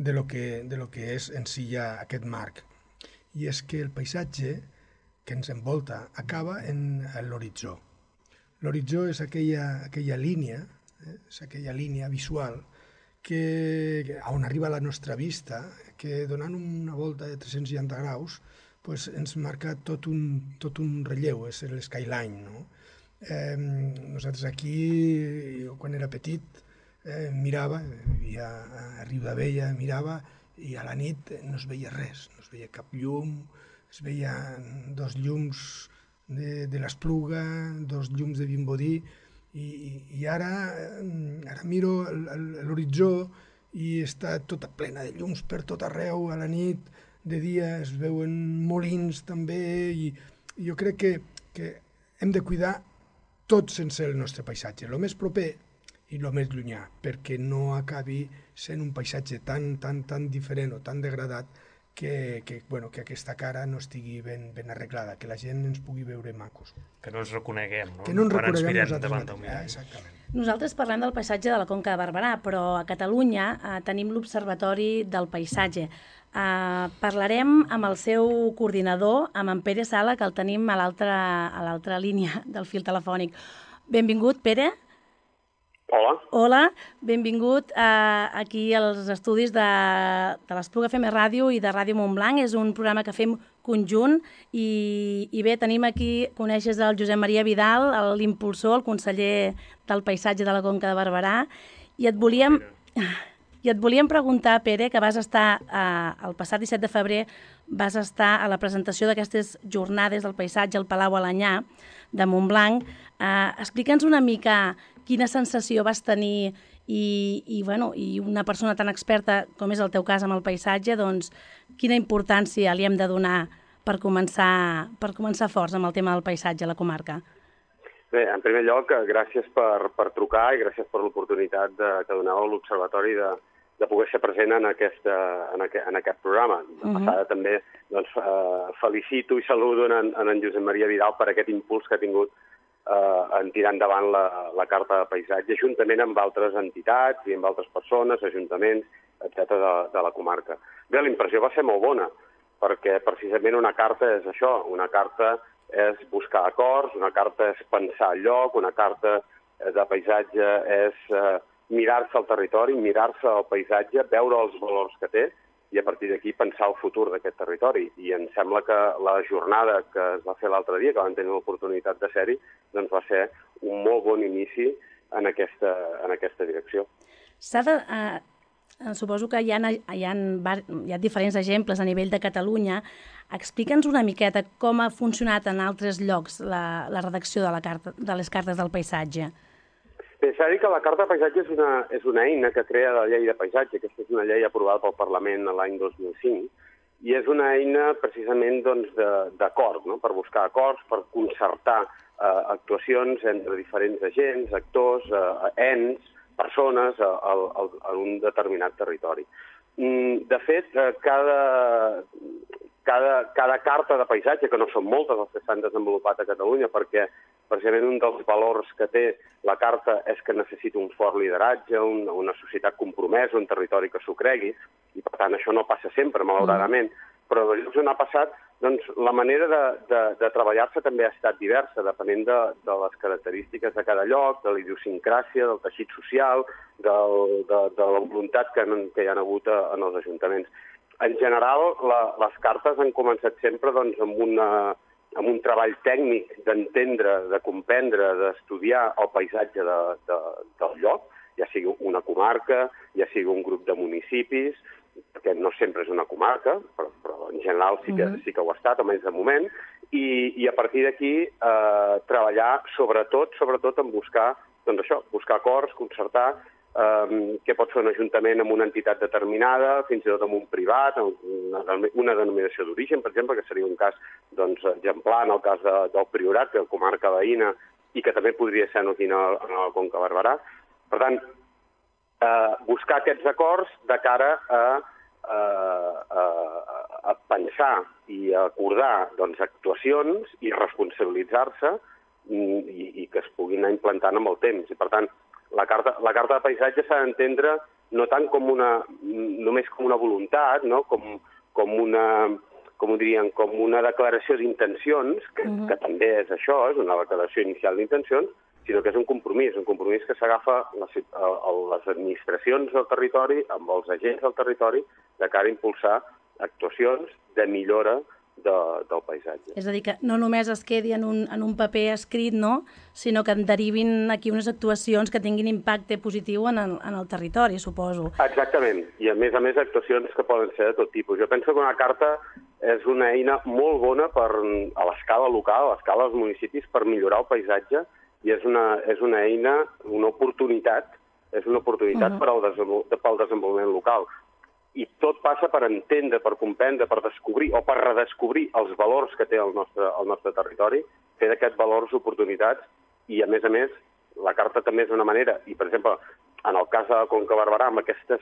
de lo que és en si ja aquest marc. I és que el paisatge que ens envolta acaba en l'horitzó. L'horitzó és aquella línia, és aquella línia visual on arriba la nostra vista, que donant una volta de 360 graus ens marca tot un relleu, és l'skyline, no? Nosaltres aquí, quan era petit, mirava, vivia a Riu d'Abella, mirava, i a la nit no es veia res, no es veia cap llum, es veien 2 llums de l'Espluga, 2 llums de Vimbodí, i ara miro l'horitzó i està tota plena de llums per tot arreu, a la nit, de dia es veuen molins també, i jo crec que hem de cuidar tot sense el nostre paisatge, el més proper i el més llunyà, perquè no acabi sent un paisatge tan diferent o tan degradat que aquesta cara no estigui ben arreglada, que la gent ens pugui veure macos. Que no ens reconeguem, no? Que no ens Quan ens reconeguem mirem nosaltres davant del mirall. Exactament. Nosaltres parlem del paisatge de la Conca de Barberà, però a Catalunya tenim l'Observatori del Paisatge. Parlarem amb el seu coordinador, amb en Pere Sala, que el tenim a l'altra línia del fil telefònic. Benvingut, Pere. Hola. Hola, benvingut aquí als estudis de l'Espluga FM Ràdio i de Ràdio Montblanc. És un programa que fem conjunt i bé, tenim aquí, coneixes el Josep Maria Vidal, l'impulsor, el conseller del Paisatge de la Conca de Barberà, i et volíem preguntar, Pere, que vas estar el passat 17 de febrer, vas estar a la presentació d'aquestes jornades del paisatge al Palau Alanyà de Montblanc. Explica'ns una mica quina sensació vas tenir i una persona tan experta com és el teu cas amb el paisatge, doncs quina importància li hem de donar per començar forts amb el tema del paisatge a la comarca. Bé, en primer lloc, gràcies per trucar i gràcies per l'oportunitat que doneu a l'Observatori de poder ser present en aquest programa. De passada també felicito i saludo en Josep Maria Vidal per aquest impuls que ha tingut en tirar endavant la Carta de Paisatge, juntament amb altres entitats i amb altres persones, ajuntaments, etc. de la comarca. Bé, la impressió va ser molt bona, perquè precisament una carta és això, una carta és buscar acords, una carta és pensar el lloc, una carta de paisatge és mirar-se el territori, mirar-se el paisatge, veure els valors que té i a partir d'aquí pensar el futur d'aquest territori. I em sembla que la jornada que es va fer l'altre dia, que vam tenir l'oportunitat de ser-hi, doncs va ser un molt bon inici en aquesta direcció. Suposo que hi ha diferents exemples a nivell de Catalunya. Explica'ns una miqueta com ha funcionat en altres llocs la redacció de les cartes del paisatge. Bé, s'ha de dir que la Carta de Paisatge és una eina que crea la llei de paisatge. Aquesta és una llei aprovada pel Parlament l'any 2005 i és una eina precisament d'acord, no? Per buscar acords, per concertar actuacions entre diferents agents, actors, ens, persones en un determinat territori. De fet, cada carta de paisatge, que no són moltes les que s'han desenvolupat a Catalunya, perquè precisament un dels valors que té la carta és que necessita un fort lideratge, una societat compromesa, un territori que s'ho cregui, i per tant això no passa sempre, malauradament, però en els llocs on ha passat, doncs la manera de treballar-se també ha estat diversa, depenent de les característiques de cada lloc, de la idiosincràsia, del teixit social, de la voluntat que hi ha hagut en els ajuntaments. En general, les cartes han començat sempre amb un treball tècnic d'entendre, de comprendre, d'estudiar el paisatge del lloc, ja sigui una comarca, ja sigui un grup de municipis, perquè no sempre és una comarca, però en general sí que ho ha estat, almenys de moment, i a partir d'aquí treballar sobretot en buscar acords, concertar què pot fer un ajuntament amb una entitat determinada, fins i tot amb un privat, una denominació d'origen, per exemple, que seria un cas exemplar en el cas del Priorat, que és la comarca veïna, i que també podria ser aquí a la Conca Barberà. Per tant, buscar aquests acords de cara a pensar i a acordar actuacions i responsabilitzar-se i que es puguin anar implantant amb el temps. I, per tant, la carta de paisatge s'ha d'entendre no tant només com una voluntat, no? com una declaració d'intencions, que també és això, és una declaració inicial d'intencions, sinó que és un compromís que s'agafa les administracions del territori amb els agents del territori de cara a impulsar actuacions de millora del paisatge. És a dir, que no només es quedi en un paper escrit, no? Sinó que en derivin aquí unes actuacions que tinguin impacte positiu en el territori, suposo. Exactament, i a més actuacions que poden ser de tot tipus. Jo penso que una carta és una eina molt bona a l'escala local, a l'escala dels municipis, per millorar el paisatge, i és una eina, una oportunitat pel desenvolupament local. I tot passa per entendre, per comprendre, per descobrir o per redescobrir els valors que té el nostre territori, fer d'aquests valors oportunitats, i a més, la carta també és una manera, i per exemple, en el cas de la Conca Barberà, amb aquestes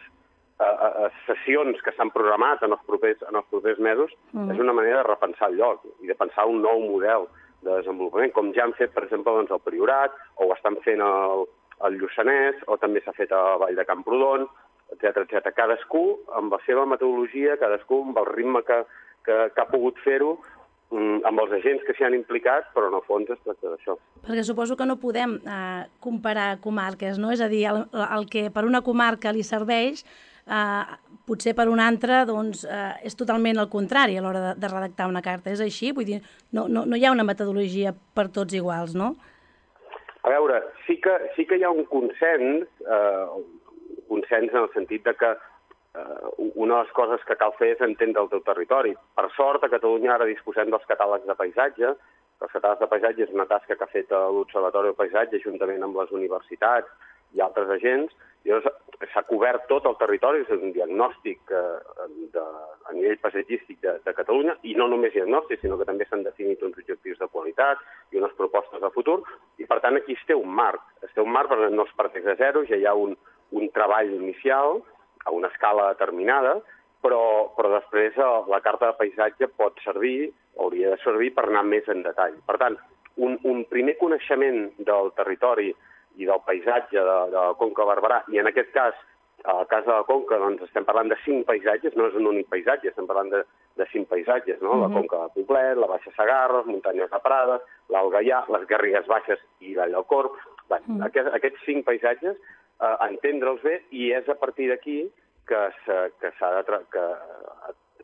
sessions que s'han programat en els propers mesos, és una manera de repensar el lloc i de pensar un nou model de desenvolupament, com ja han fet, per exemple, el Priorat, o ho estan fent al Lluçanès, o també s'ha fet a Vall de Camprodon, etc. Cadascú amb la seva metodologia, cadascú amb el ritme que ha pogut fer-ho, amb els agents que s'hi han implicat, però en el fons es tracta d'això. Perquè suposo que no podem comparar comarques, no? És a dir, el que per una comarca li serveix, potser per una altra és totalment el contrari a l'hora de redactar una carta. És així? Vull dir, no hi ha una metodologia per tots iguals, no? A veure, sí que hi ha un consens en el sentit de que una de les coses que cal fer és entendre el teu territori. Per sort, a Catalunya ara disposem dels catàlegs de paisatge. Els catàlegs de paisatge és una tasca que ha fet l'Observatori del Paisatge juntament amb les universitats i altres agents. S'ha cobert tot el territori, és un diagnòstic a nivell paisatgístic de Catalunya, i no només diagnòstic, sinó que també s'han definit uns objectius de qualitat i unes propostes de futur, i per tant aquí es té un marc. Es té un marc perquè no es parteix de zero, ja hi ha un treball inicial a una escala determinada, però després la carta de paisatge pot servir, hauria de servir per anar més en detall. Per tant, un primer coneixement del territori i del paisatge de la Conca Barberà, i en aquest cas, al cas de la Conca, estem parlant de 5 paisatges, no és un únic paisatge, estem parlant de 5 paisatges, no? La Conca de Poblet, la Baixa Segarra, les muntanyes de Prades, l'Alt Gaià, les Garrigues Baixes i la del Corb. Aquests 5 paisatges, entendre'ls bé, i és a partir d'aquí que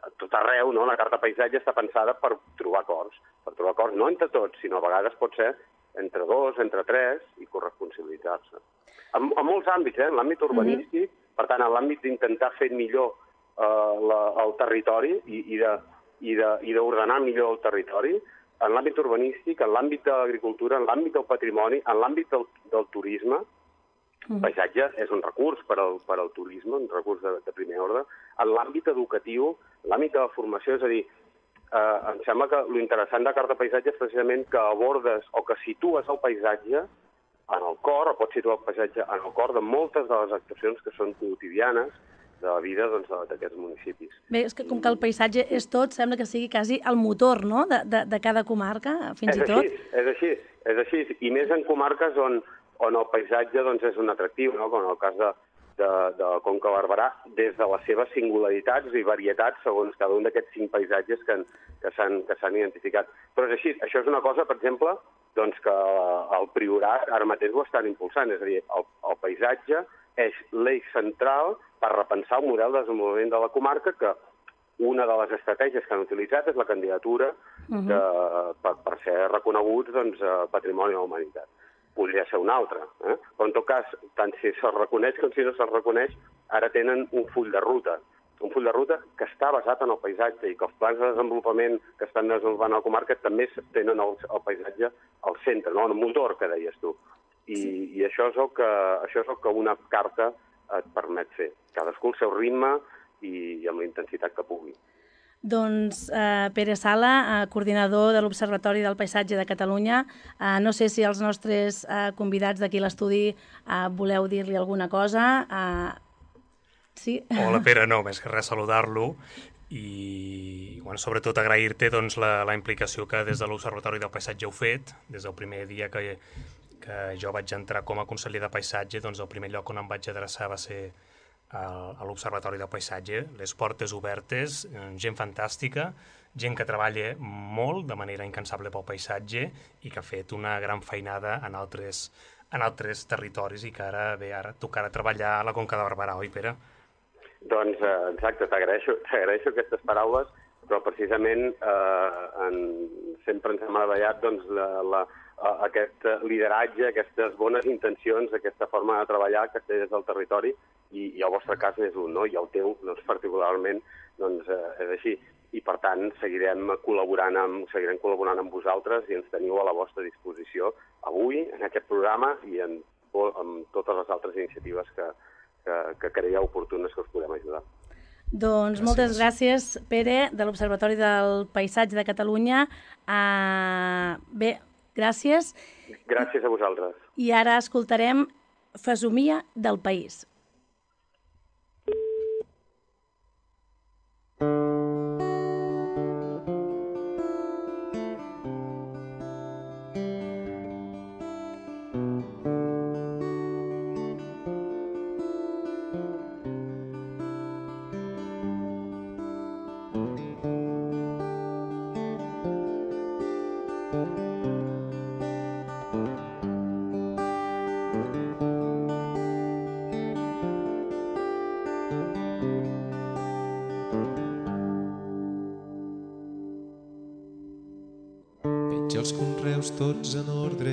a tot arreu, no? La carta paisatge està pensada per trobar acords, no entre tots, sinó a vegades pot ser entre 2, entre 3 i corresponsabilitzar-se. En molts àmbits, en l'àmbit urbanístic, per tant, en l'àmbit d'intentar fer millor el territori i d'ordenar millor el territori, en l'àmbit urbanístic, en l'àmbit de l'agricultura, en l'àmbit del patrimoni, en l'àmbit del turisme. El paisatge és un recurs per al turisme, un recurs de primer ordre. En l'àmbit educatiu, en l'àmbit de la formació, és a dir, em sembla que l'interessant de la carta paisatge és precisament que abordes o que situes el paisatge en el cor, o pots situar el paisatge en el cor de moltes de les actuacions que són quotidianes de la vida d'aquests municipis. Bé, és que com que el paisatge és tot, sembla que sigui quasi el motor, no?, de cada comarca, fins i tot. És així, i més en comarques on el paisatge és un atractiu, no? Com en el cas de la Conca Barberà, des de les seves singularitats i varietats segons cada un d'aquests 5 paisatges que s'han identificat. Però és així, això és una cosa, per exemple, que el Priorat ara mateix ho estan impulsant, és a dir, el paisatge és l'eix central per repensar el model de desenvolupament de la comarca, que una de les estratègies que han utilitzat és la candidatura per ser reconeguts Patrimoni de la Humanitat. Podria ser una altra, però en tot cas, tant si se'ls reconeix com si no se'ls reconeix, ara tenen un full de ruta que està basat en el paisatge i que els plans de desenvolupament que estan desenvolupant a la comarca també tenen el paisatge al centre, no? El motor que deies tu. I això és el que una carta et permet fer. Cadascú el seu ritme i amb la intensitat que pugui. Doncs Pere Sala, coordinador de l'Observatori del Paisatge de Catalunya, no sé si els nostres convidats d'aquí a l'estudi voleu dir-li alguna cosa. Sí? Hola Pere, no, més que res saludar-lo i sobretot agrair-te la implicació que des de l'Observatori del Paisatge heu fet. Des del primer dia que jo vaig entrar com a conseller de paisatge, el primer lloc on em vaig adreçar va ser a l'Observatori del Paisatge, les portes obertes, gent fantàstica, gent que treballa molt de manera incansable pel paisatge i que ha fet una gran feinada en altres territoris i que ara tocarà treballar a la Conca de Barberà, oi Pere? Doncs exacte, t'agraeixo aquestes paraules, però precisament sempre ens ha meravellat aquest lideratge, aquestes bones intencions, aquesta forma de treballar que té des del territori, i el vostre cas és un, no? I el teu, particularment, és així. I, per tant, seguirem col·laborant amb vosaltres i ens teniu a la vostra disposició avui, en aquest programa i en totes les altres iniciatives que creieu oportunes que us podem ajudar. Doncs moltes gràcies, Pere, de l'Observatori del Paisatge de Catalunya. Bé, gràcies. Gràcies a vosaltres. I ara escoltarem Fesomia del País. Els conreus tots en ordre,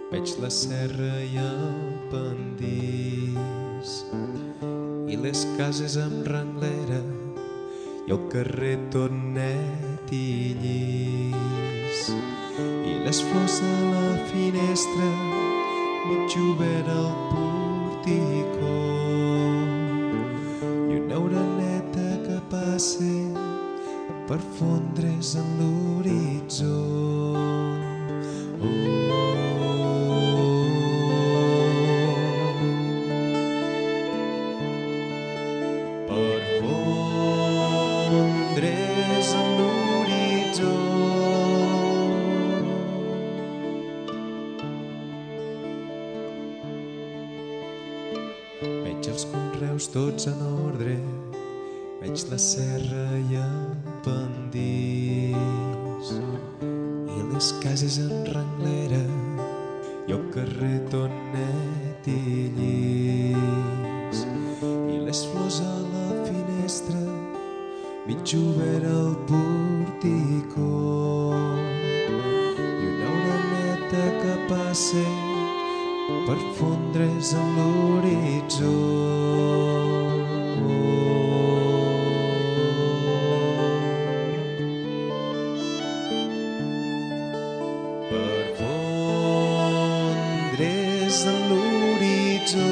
veig la serra i el pendís i les cases amb renglera i el carrer tot net i llis i les flors a la finestra mig obert al porticó i una oreneta que passa per fondre's en l'horitzó. Tots en ordre, veig la serra i el pendís i les cases en renglera i el carrer tot net i llis i les flors flors a la finestra, mig obert al porticó, i una oreneta que passa per fondre's en l'horitzó. Per fondre's en l'horitzó.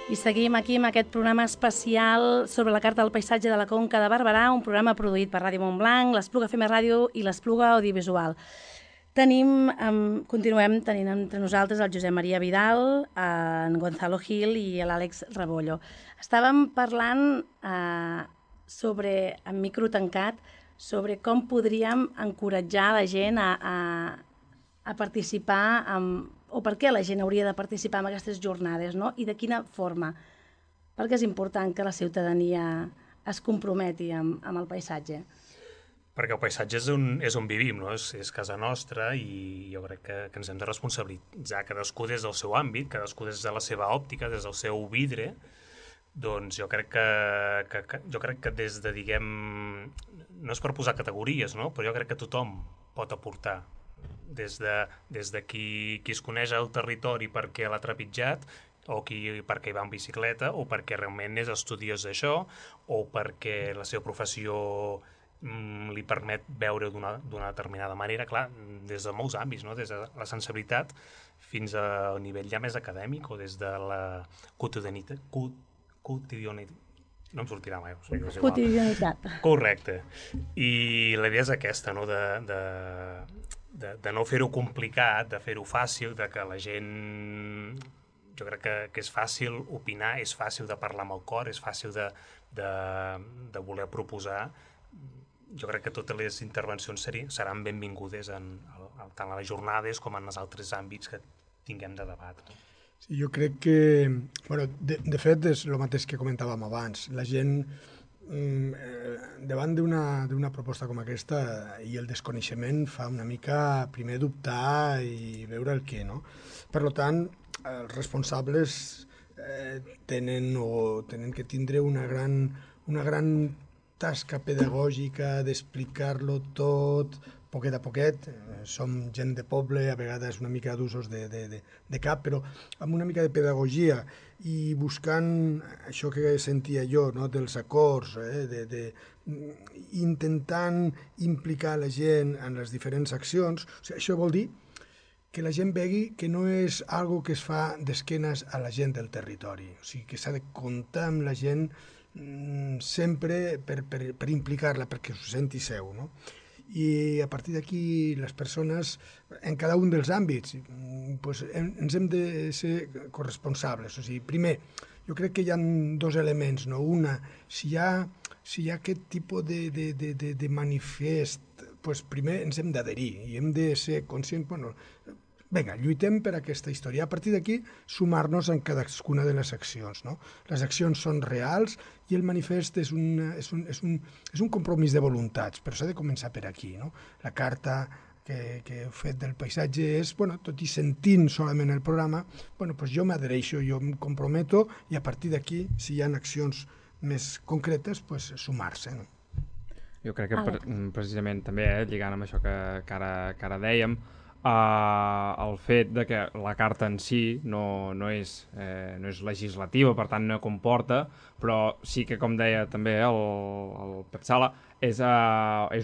I seguim aquí amb aquest programa especial sobre la Carta del Paisatge de la Conca de Barberà, un programa produït per Ràdio Montblanc, l'Espluga FM Ràdio i l'Espluga Audiovisual. Continuem tenint entre nosaltres el Josep Maria Vidal, en Gonzalo Gil i l'Àlex Rebollo. Estàvem parlant en micro tancat sobre com podríem encoratjar la gent a participar o per què la gent hauria de participar en aquestes jornades, no? I de quina forma. Perquè és important que la ciutadania es comprometi amb el paisatge. Perquè el paisatge és on vivim, no? És casa nostra i jo crec que ens hem de responsabilitzar cadascú des del seu àmbit, cadascú des de la seva òptica, des del seu vidre. Doncs jo crec que des de, diguem, no és per posar categories, no? Però jo crec que tothom pot aportar. Des de qui es coneix el territori perquè l'ha trepitjat, o perquè hi va en bicicleta, o perquè realment és estudiós d'això, o perquè la seva professió li permet veure d'una determinada manera, clar, des de molts àmbits, no? Des de la sensibilitat fins al nivell ja més acadèmic o des de la quotidianitat. No em sortirà mai. Quotidianitat. Correcte. I la idea és aquesta, no? De no fer-ho complicat, de fer-ho fàcil, de que la gent... Jo crec que és fàcil opinar, és fàcil de parlar amb el cor, és fàcil de voler proposar. Jo crec que totes les intervencions seran benvingudes tant a les jornades com en els altres àmbits que tinguem de debat. Sí, jo crec que... De fet, és el mateix que comentàvem abans. La gent, davant d'una proposta com aquesta i el desconeixement, fa una mica primer dubtar i veure el què, no? Per tant, els responsables tenen que tindre una gran tasca pedagògica d'explicar-lo tot, poquet a poquet. Som gent de poble, a vegades una mica d'usos de cap, però amb una mica de pedagogia i buscant això que sentia jo, no? Dels acords, intentant implicar la gent en les diferents accions. O sigui, això vol dir que la gent vegi que no és algo que es fa d'esquenes a la gent del territori, o sigui, que s'ha de comptar amb la gent sempre per implicar-la, perquè s'ho senti seu, no? I a partir d'aquí les persones, en cada un dels àmbits, pues, ens hem de ser corresponsables. O sigui, primer, jo crec que hi ha dos elements, no? Una, si hi ha aquest tipus de manifest, pues, primer ens hem d'adherir i hem de ser conscients, vinga, lluitem per aquesta història. A partir d'aquí, sumar-nos en cadascuna de les accions, no? Les accions són reals i el manifest és un compromís de voluntats, però s'ha de començar per aquí, no? La carta que he fet del paisatge és, tot i sentint solament el programa, doncs jo m'adhereixo, jo em comprometo i a partir d'aquí, si hi ha accions més concretes, sumar-se, no? Jo crec que precisament també, lligant amb això que ara dèiem, el fet de que la carta en si no és legislativa, per tant no comporta, però sí que, com deia també el Pep Sala, és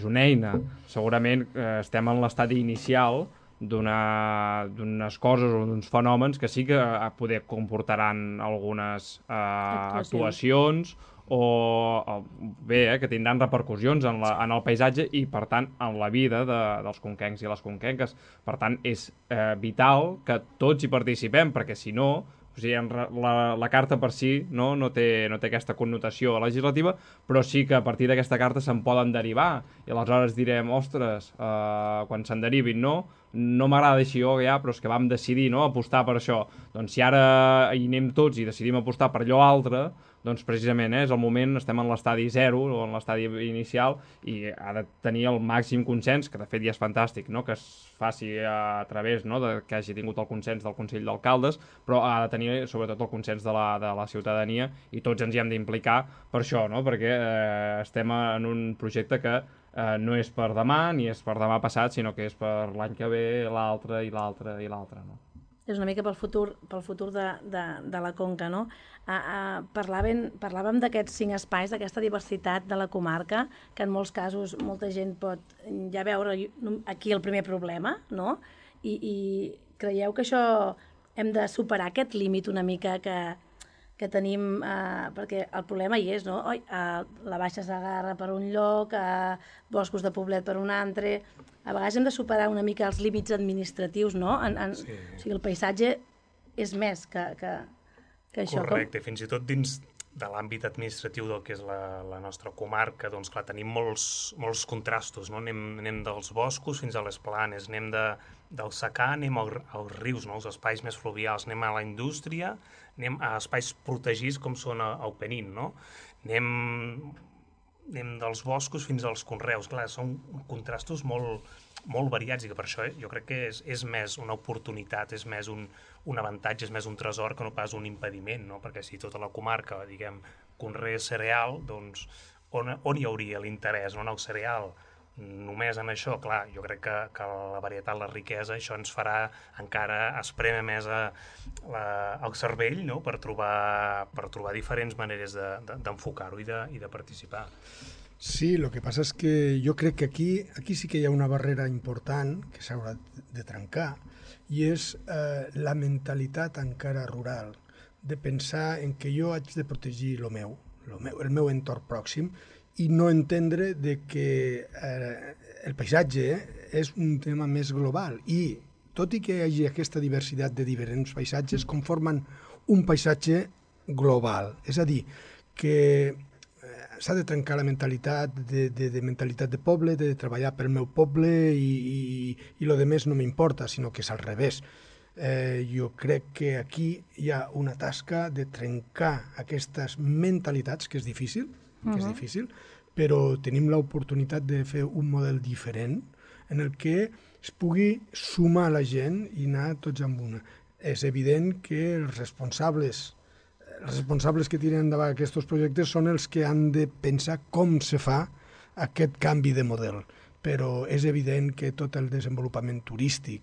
una eina. Segurament estem en l'estadi inicial d'unes coses o d'uns fenòmens que sí que poder comportaran algunes actuacions o bé, que tindran repercussions en el paisatge i, per tant, en la vida dels conquencs i les conquenques. Per tant, és vital que tots hi participem, perquè si no, o sigui, la carta per si no té aquesta connotació legislativa, però sí que a partir d'aquesta carta se'n poden derivar. I aleshores direm, ostres, quan se'n derivin, no m'agrada així ja, però és que vam decidir apostar per això. Doncs si ara hi anem tots i decidim apostar per allò altre, doncs precisament és el moment, estem en l'estadi 0 o en l'estadi inicial i ha de tenir el màxim consens, que de fet ja és fantàstic, que es faci a través que hagi tingut el consens del Consell d'Alcaldes, però ha de tenir sobretot el consens de la ciutadania i tots ens hi hem d'implicar per això, perquè estem en un projecte que no és per demà ni és per demà passat, sinó que és per l'any que ve, l'altre i l'altre i l'altre, És una mica pel futur de la Conca, no? Parlàvem d'aquests 5 espais, d'aquesta diversitat de la comarca, que en molts casos molta gent pot ja veure aquí el primer problema, no? I creieu que això hem de superar aquest límit una mica que tenim, perquè el problema hi és, no? La Baixa Segarra per un lloc, boscos de Poblet per un altre. A vegades hem de superar una mica els límits administratius, no? O sigui, el paisatge és més que això. Correcte, fins i tot dins de l'àmbit administratiu del que és la nostra comarca, doncs clar, tenim molts contrastos, no? Anem dels boscos fins a les planes, anem del secà, anem als rius, no? Els espais més fluvials, anem a la indústria, anem a espais protegits com són el Penín, no? Anem dels boscos fins als conreus. Clar, són contrastos molt variats i que per això jo crec que és més una oportunitat, és més un avantatge, és més un tresor que no pas un impediment, no? Perquè si tota la comarca, diguem, conrea cereal, doncs on hi hauria l'interès, no? En el cereal, només en això, clar, jo crec que la varietat, la riquesa, això ens farà encara esprémer més el cervell, no? Per trobar diferents maneres d'enfocar-ho i de participar. Sí, el que passa és que jo crec que aquí sí que hi ha una barrera important que s'haurà de trencar i és la mentalitat encara rural de pensar en que jo haig de protegir el meu entorn pròxim i no entendre de que el paisatge és un tema més global i tot i que hi hagi aquesta diversitat de diferents paisatges conformen un paisatge global, és a dir, que s'ha de trencar la mentalitat de mentalitat de poble, de treballar pel meu poble i lo de més no m'importa, sinó que és al revés. Jo crec que aquí hi ha una tasca de trencar aquestes mentalitats, que és difícil, però tenim l'oportunitat de fer un model diferent en el que es pugui sumar la gent i anar tots amb una. És evident que els responsables que tiren endavant aquests projectes són els que han de pensar com se fa aquest canvi de model. Però és evident que tot el desenvolupament turístic,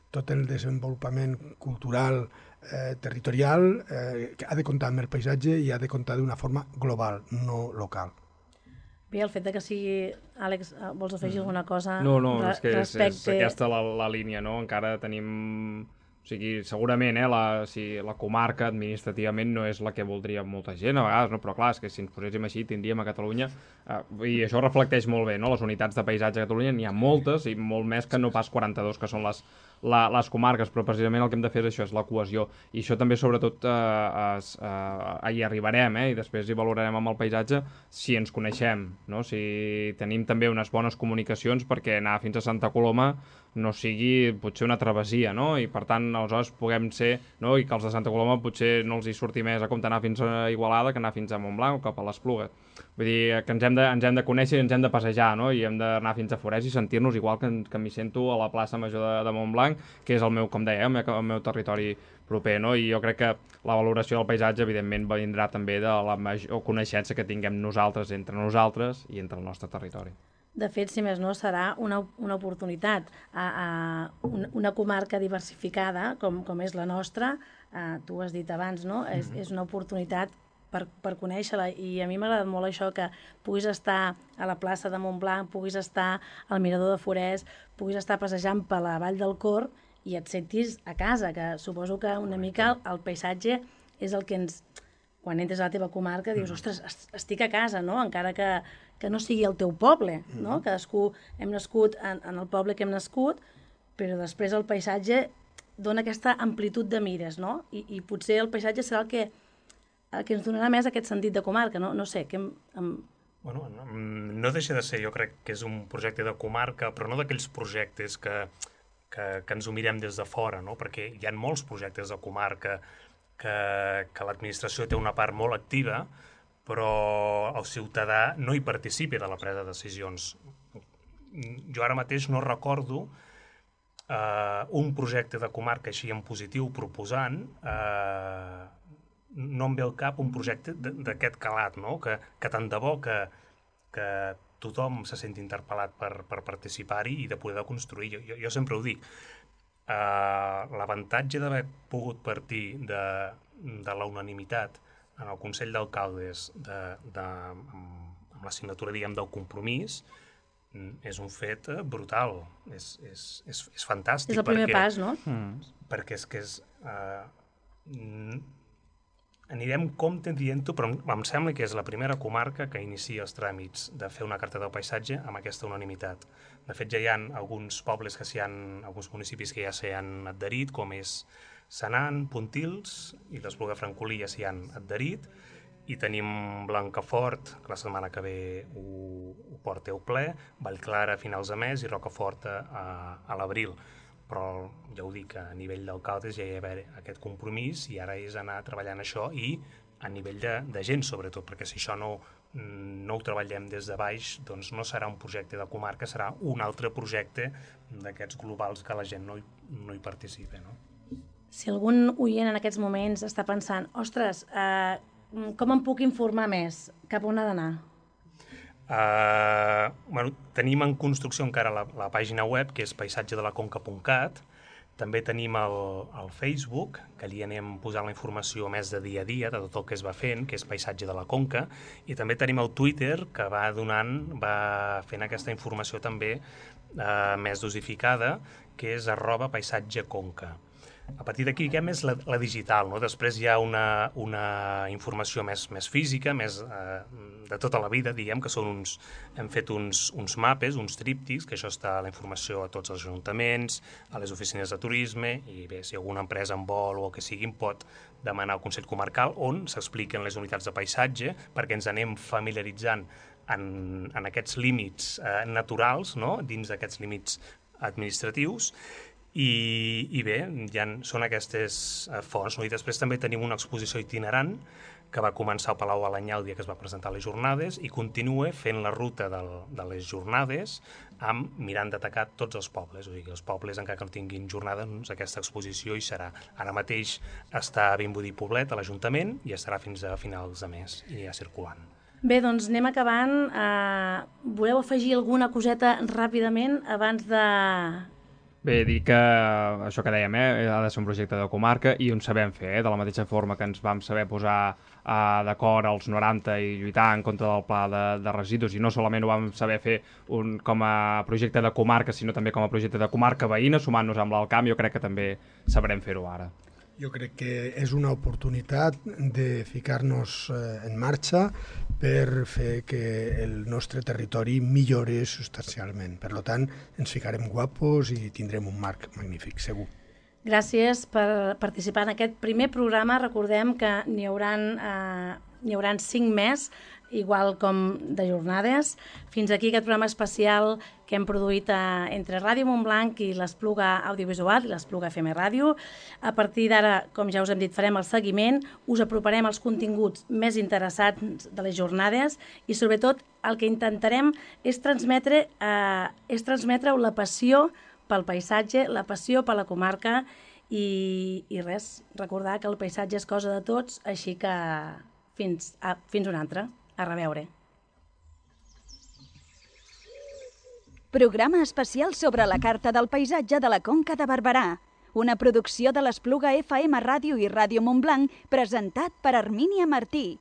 tot el desenvolupament cultural, territorial, ha de comptar amb el paisatge i ha de comptar d'una forma global, no local. Bé, el fet que sigui... Àlex, vols afegir alguna cosa? No, és que és aquesta la línia, no? Encara tenim... O sigui, segurament la comarca administrativament no és la que voldria molta gent a vegades, no? Però clar, és que si ens poséssim així tindríem a Catalunya, i això reflecteix molt bé, no? Les unitats de paisatge a Catalunya n'hi ha moltes i molt més que no pas 42 que són les comarques, però precisament el que hem de fer és això, és la cohesió, i això també sobretot hi arribarem, i després hi valorarem amb el paisatge si ens coneixem, no? Si tenim també unes bones comunicacions perquè anar fins a Santa Coloma no sigui potser una travessia, no? I per tant aleshores puguem ser, no? I que els de Santa Coloma potser no els hi surti més a compte anar fins a Igualada que anar fins a Montblanc o cap a l'Espluga. Vull dir que ens hem de conèixer i ens hem de passejar, no? I hem d'anar fins a Forès i sentir-nos igual que m'hi sento a la plaça Major de Montblanc, que és el meu, com deia, el meu territori proper, no? I jo crec que la valoració del paisatge evidentment vindrà també de la major coneixença que tinguem nosaltres entre nosaltres i entre el nostre territori. De fet, si més no, serà una oportunitat. Una comarca diversificada, com és la nostra, tu has dit abans, no? És una oportunitat per conèixer-la, i a mi m'ha agradat molt això, que puguis estar a la plaça de Montblanc, puguis estar al Mirador de Forès, puguis estar passejant per la Vall del Cor i et sentis a casa, que suposo que una mica el paisatge és el que ens... Quan entres a la teva comarca dius, ostres, estic a casa, no? Encara que no sigui el teu poble, no? Cadascú hem nascut en el poble que hem nascut, però després el paisatge dona aquesta amplitud de mires, no? I potser el paisatge serà el que ens donarà més aquest sentit de comarca, no sé. Bueno, no deixa de ser, jo crec que és un projecte de comarca, però no d'aquells projectes que ens ho mirem des de fora, no? Perquè hi ha molts projectes de comarca que l'administració té una part molt activa, però el ciutadà no hi participa de la presa de decisions. Jo ara mateix no recordo un projecte de comarca així en positiu proposant, no em ve al cap un projecte d'aquest calat, no? Que tant de bo que tothom se senti interpel·lat per participar-hi i de poder construir. Jo sempre ho dic, l'avantatge d'haver pogut partir de la unanimitat en el Consell d'Alcaldes amb la signatura, diguem, del compromís és un fet brutal, és fantàstic. És el primer pas, no? Perquè és que anirem compte dient-ho, però em sembla que és la primera comarca que inicia els tràmits de fer una carta del paisatge amb aquesta unanimitat. De fet, ja hi ha alguns pobles alguns municipis que ja s'hi han adherit, com és Senan, Pontils i l'Espluga de Francolí ja s'hi han adherit, i tenim Blancafort, que la setmana que ve ho porteu ple, Vallclara a finals de mes i Rocafort a l'abril. Però ja ho dic, a nivell d'alcaldes ja hi ha aquest compromís i ara és anar treballant això i a nivell de gent, sobretot, perquè si això no ho treballem des de baix, doncs no serà un projecte de comarca, serà un altre projecte d'aquests globals que la gent no hi participa, no? Si algun oient en aquests moments està pensant, ostres, com em puc informar més? Cap on ha d'anar? Tenim en construcció encara la pàgina web, que és paisatgedelaconca.cat. També tenim el Facebook, que allí anem posant la informació més de dia a dia, de tot el que es va fent, que és Paisatge de la Conca, i també tenim el Twitter, que va fent aquesta informació també més dosificada, que és @paisatgeconca. A partir d'aquí hi ha més la digital, no? Després hi ha una informació més física, més de tota la vida, diguem, que hem fet uns mapes, uns tríptics, que això està a la informació a tots els ajuntaments, a les oficines de turisme, i bé, si alguna empresa en vol o el que sigui, pot demanar al Consell Comarcal on s'expliquen les unitats de paisatge perquè ens anem familiaritzant en aquests límits naturals, no? Dins d'aquests límits administratius. I bé, són aquestes fonts, no? I després també tenim una exposició itinerant que va començar al Palau Alanyà el dia que es va presentar les jornades i continua fent la ruta de les jornades mirant d'atacar tots els pobles. O sigui, els pobles, encara que no tinguin jornada, doncs aquesta exposició hi serà. Ara mateix està a Vimbodí Poblet, a l'Ajuntament, i estarà fins a finals de mes i ja circulant. Bé, doncs anem acabant. Voleu afegir alguna coseta ràpidament abans de... Bé, dir que això que dèiem, ha de ser un projecte de comarca i on sabem fer, de la mateixa forma que ens vam saber posar d'acord als 90 i lluitar en contra del pla de residus, i no solament ho vam saber fer com a projecte de comarca, sinó també com a projecte de comarca veïna, sumant-nos amb l'Alcamp, jo crec que també sabrem fer-ho ara. Jo crec que és una oportunitat de ficar-nos en marxa per fer que el nostre territori millori substancialment. Per tant, ens ficarem guapos i tindrem un marc magnífic, segur. Gràcies per participar en aquest primer programa. Recordem que n'hi hauran 5 més, igual com de jornades. Fins aquí aquest programa especial que hem produït entre Ràdio Montblanc i l'Espluga Audiovisual i l'Espluga FM Ràdio. A partir d'ara, com ja us hem dit, farem el seguiment, us aproparem els continguts més interessants de les jornades i, sobretot, el que intentarem és transmetre la passió pel paisatge, la passió per la comarca i res, recordar que el paisatge és cosa de tots, així que fins una altra. A reveure. Programa especial sobre la Carta del Paisatge de la Conca de Barberà. Una producció de l'Espluga FM Ràdio i Ràdio Montblanc presentat per Hermínia Martí.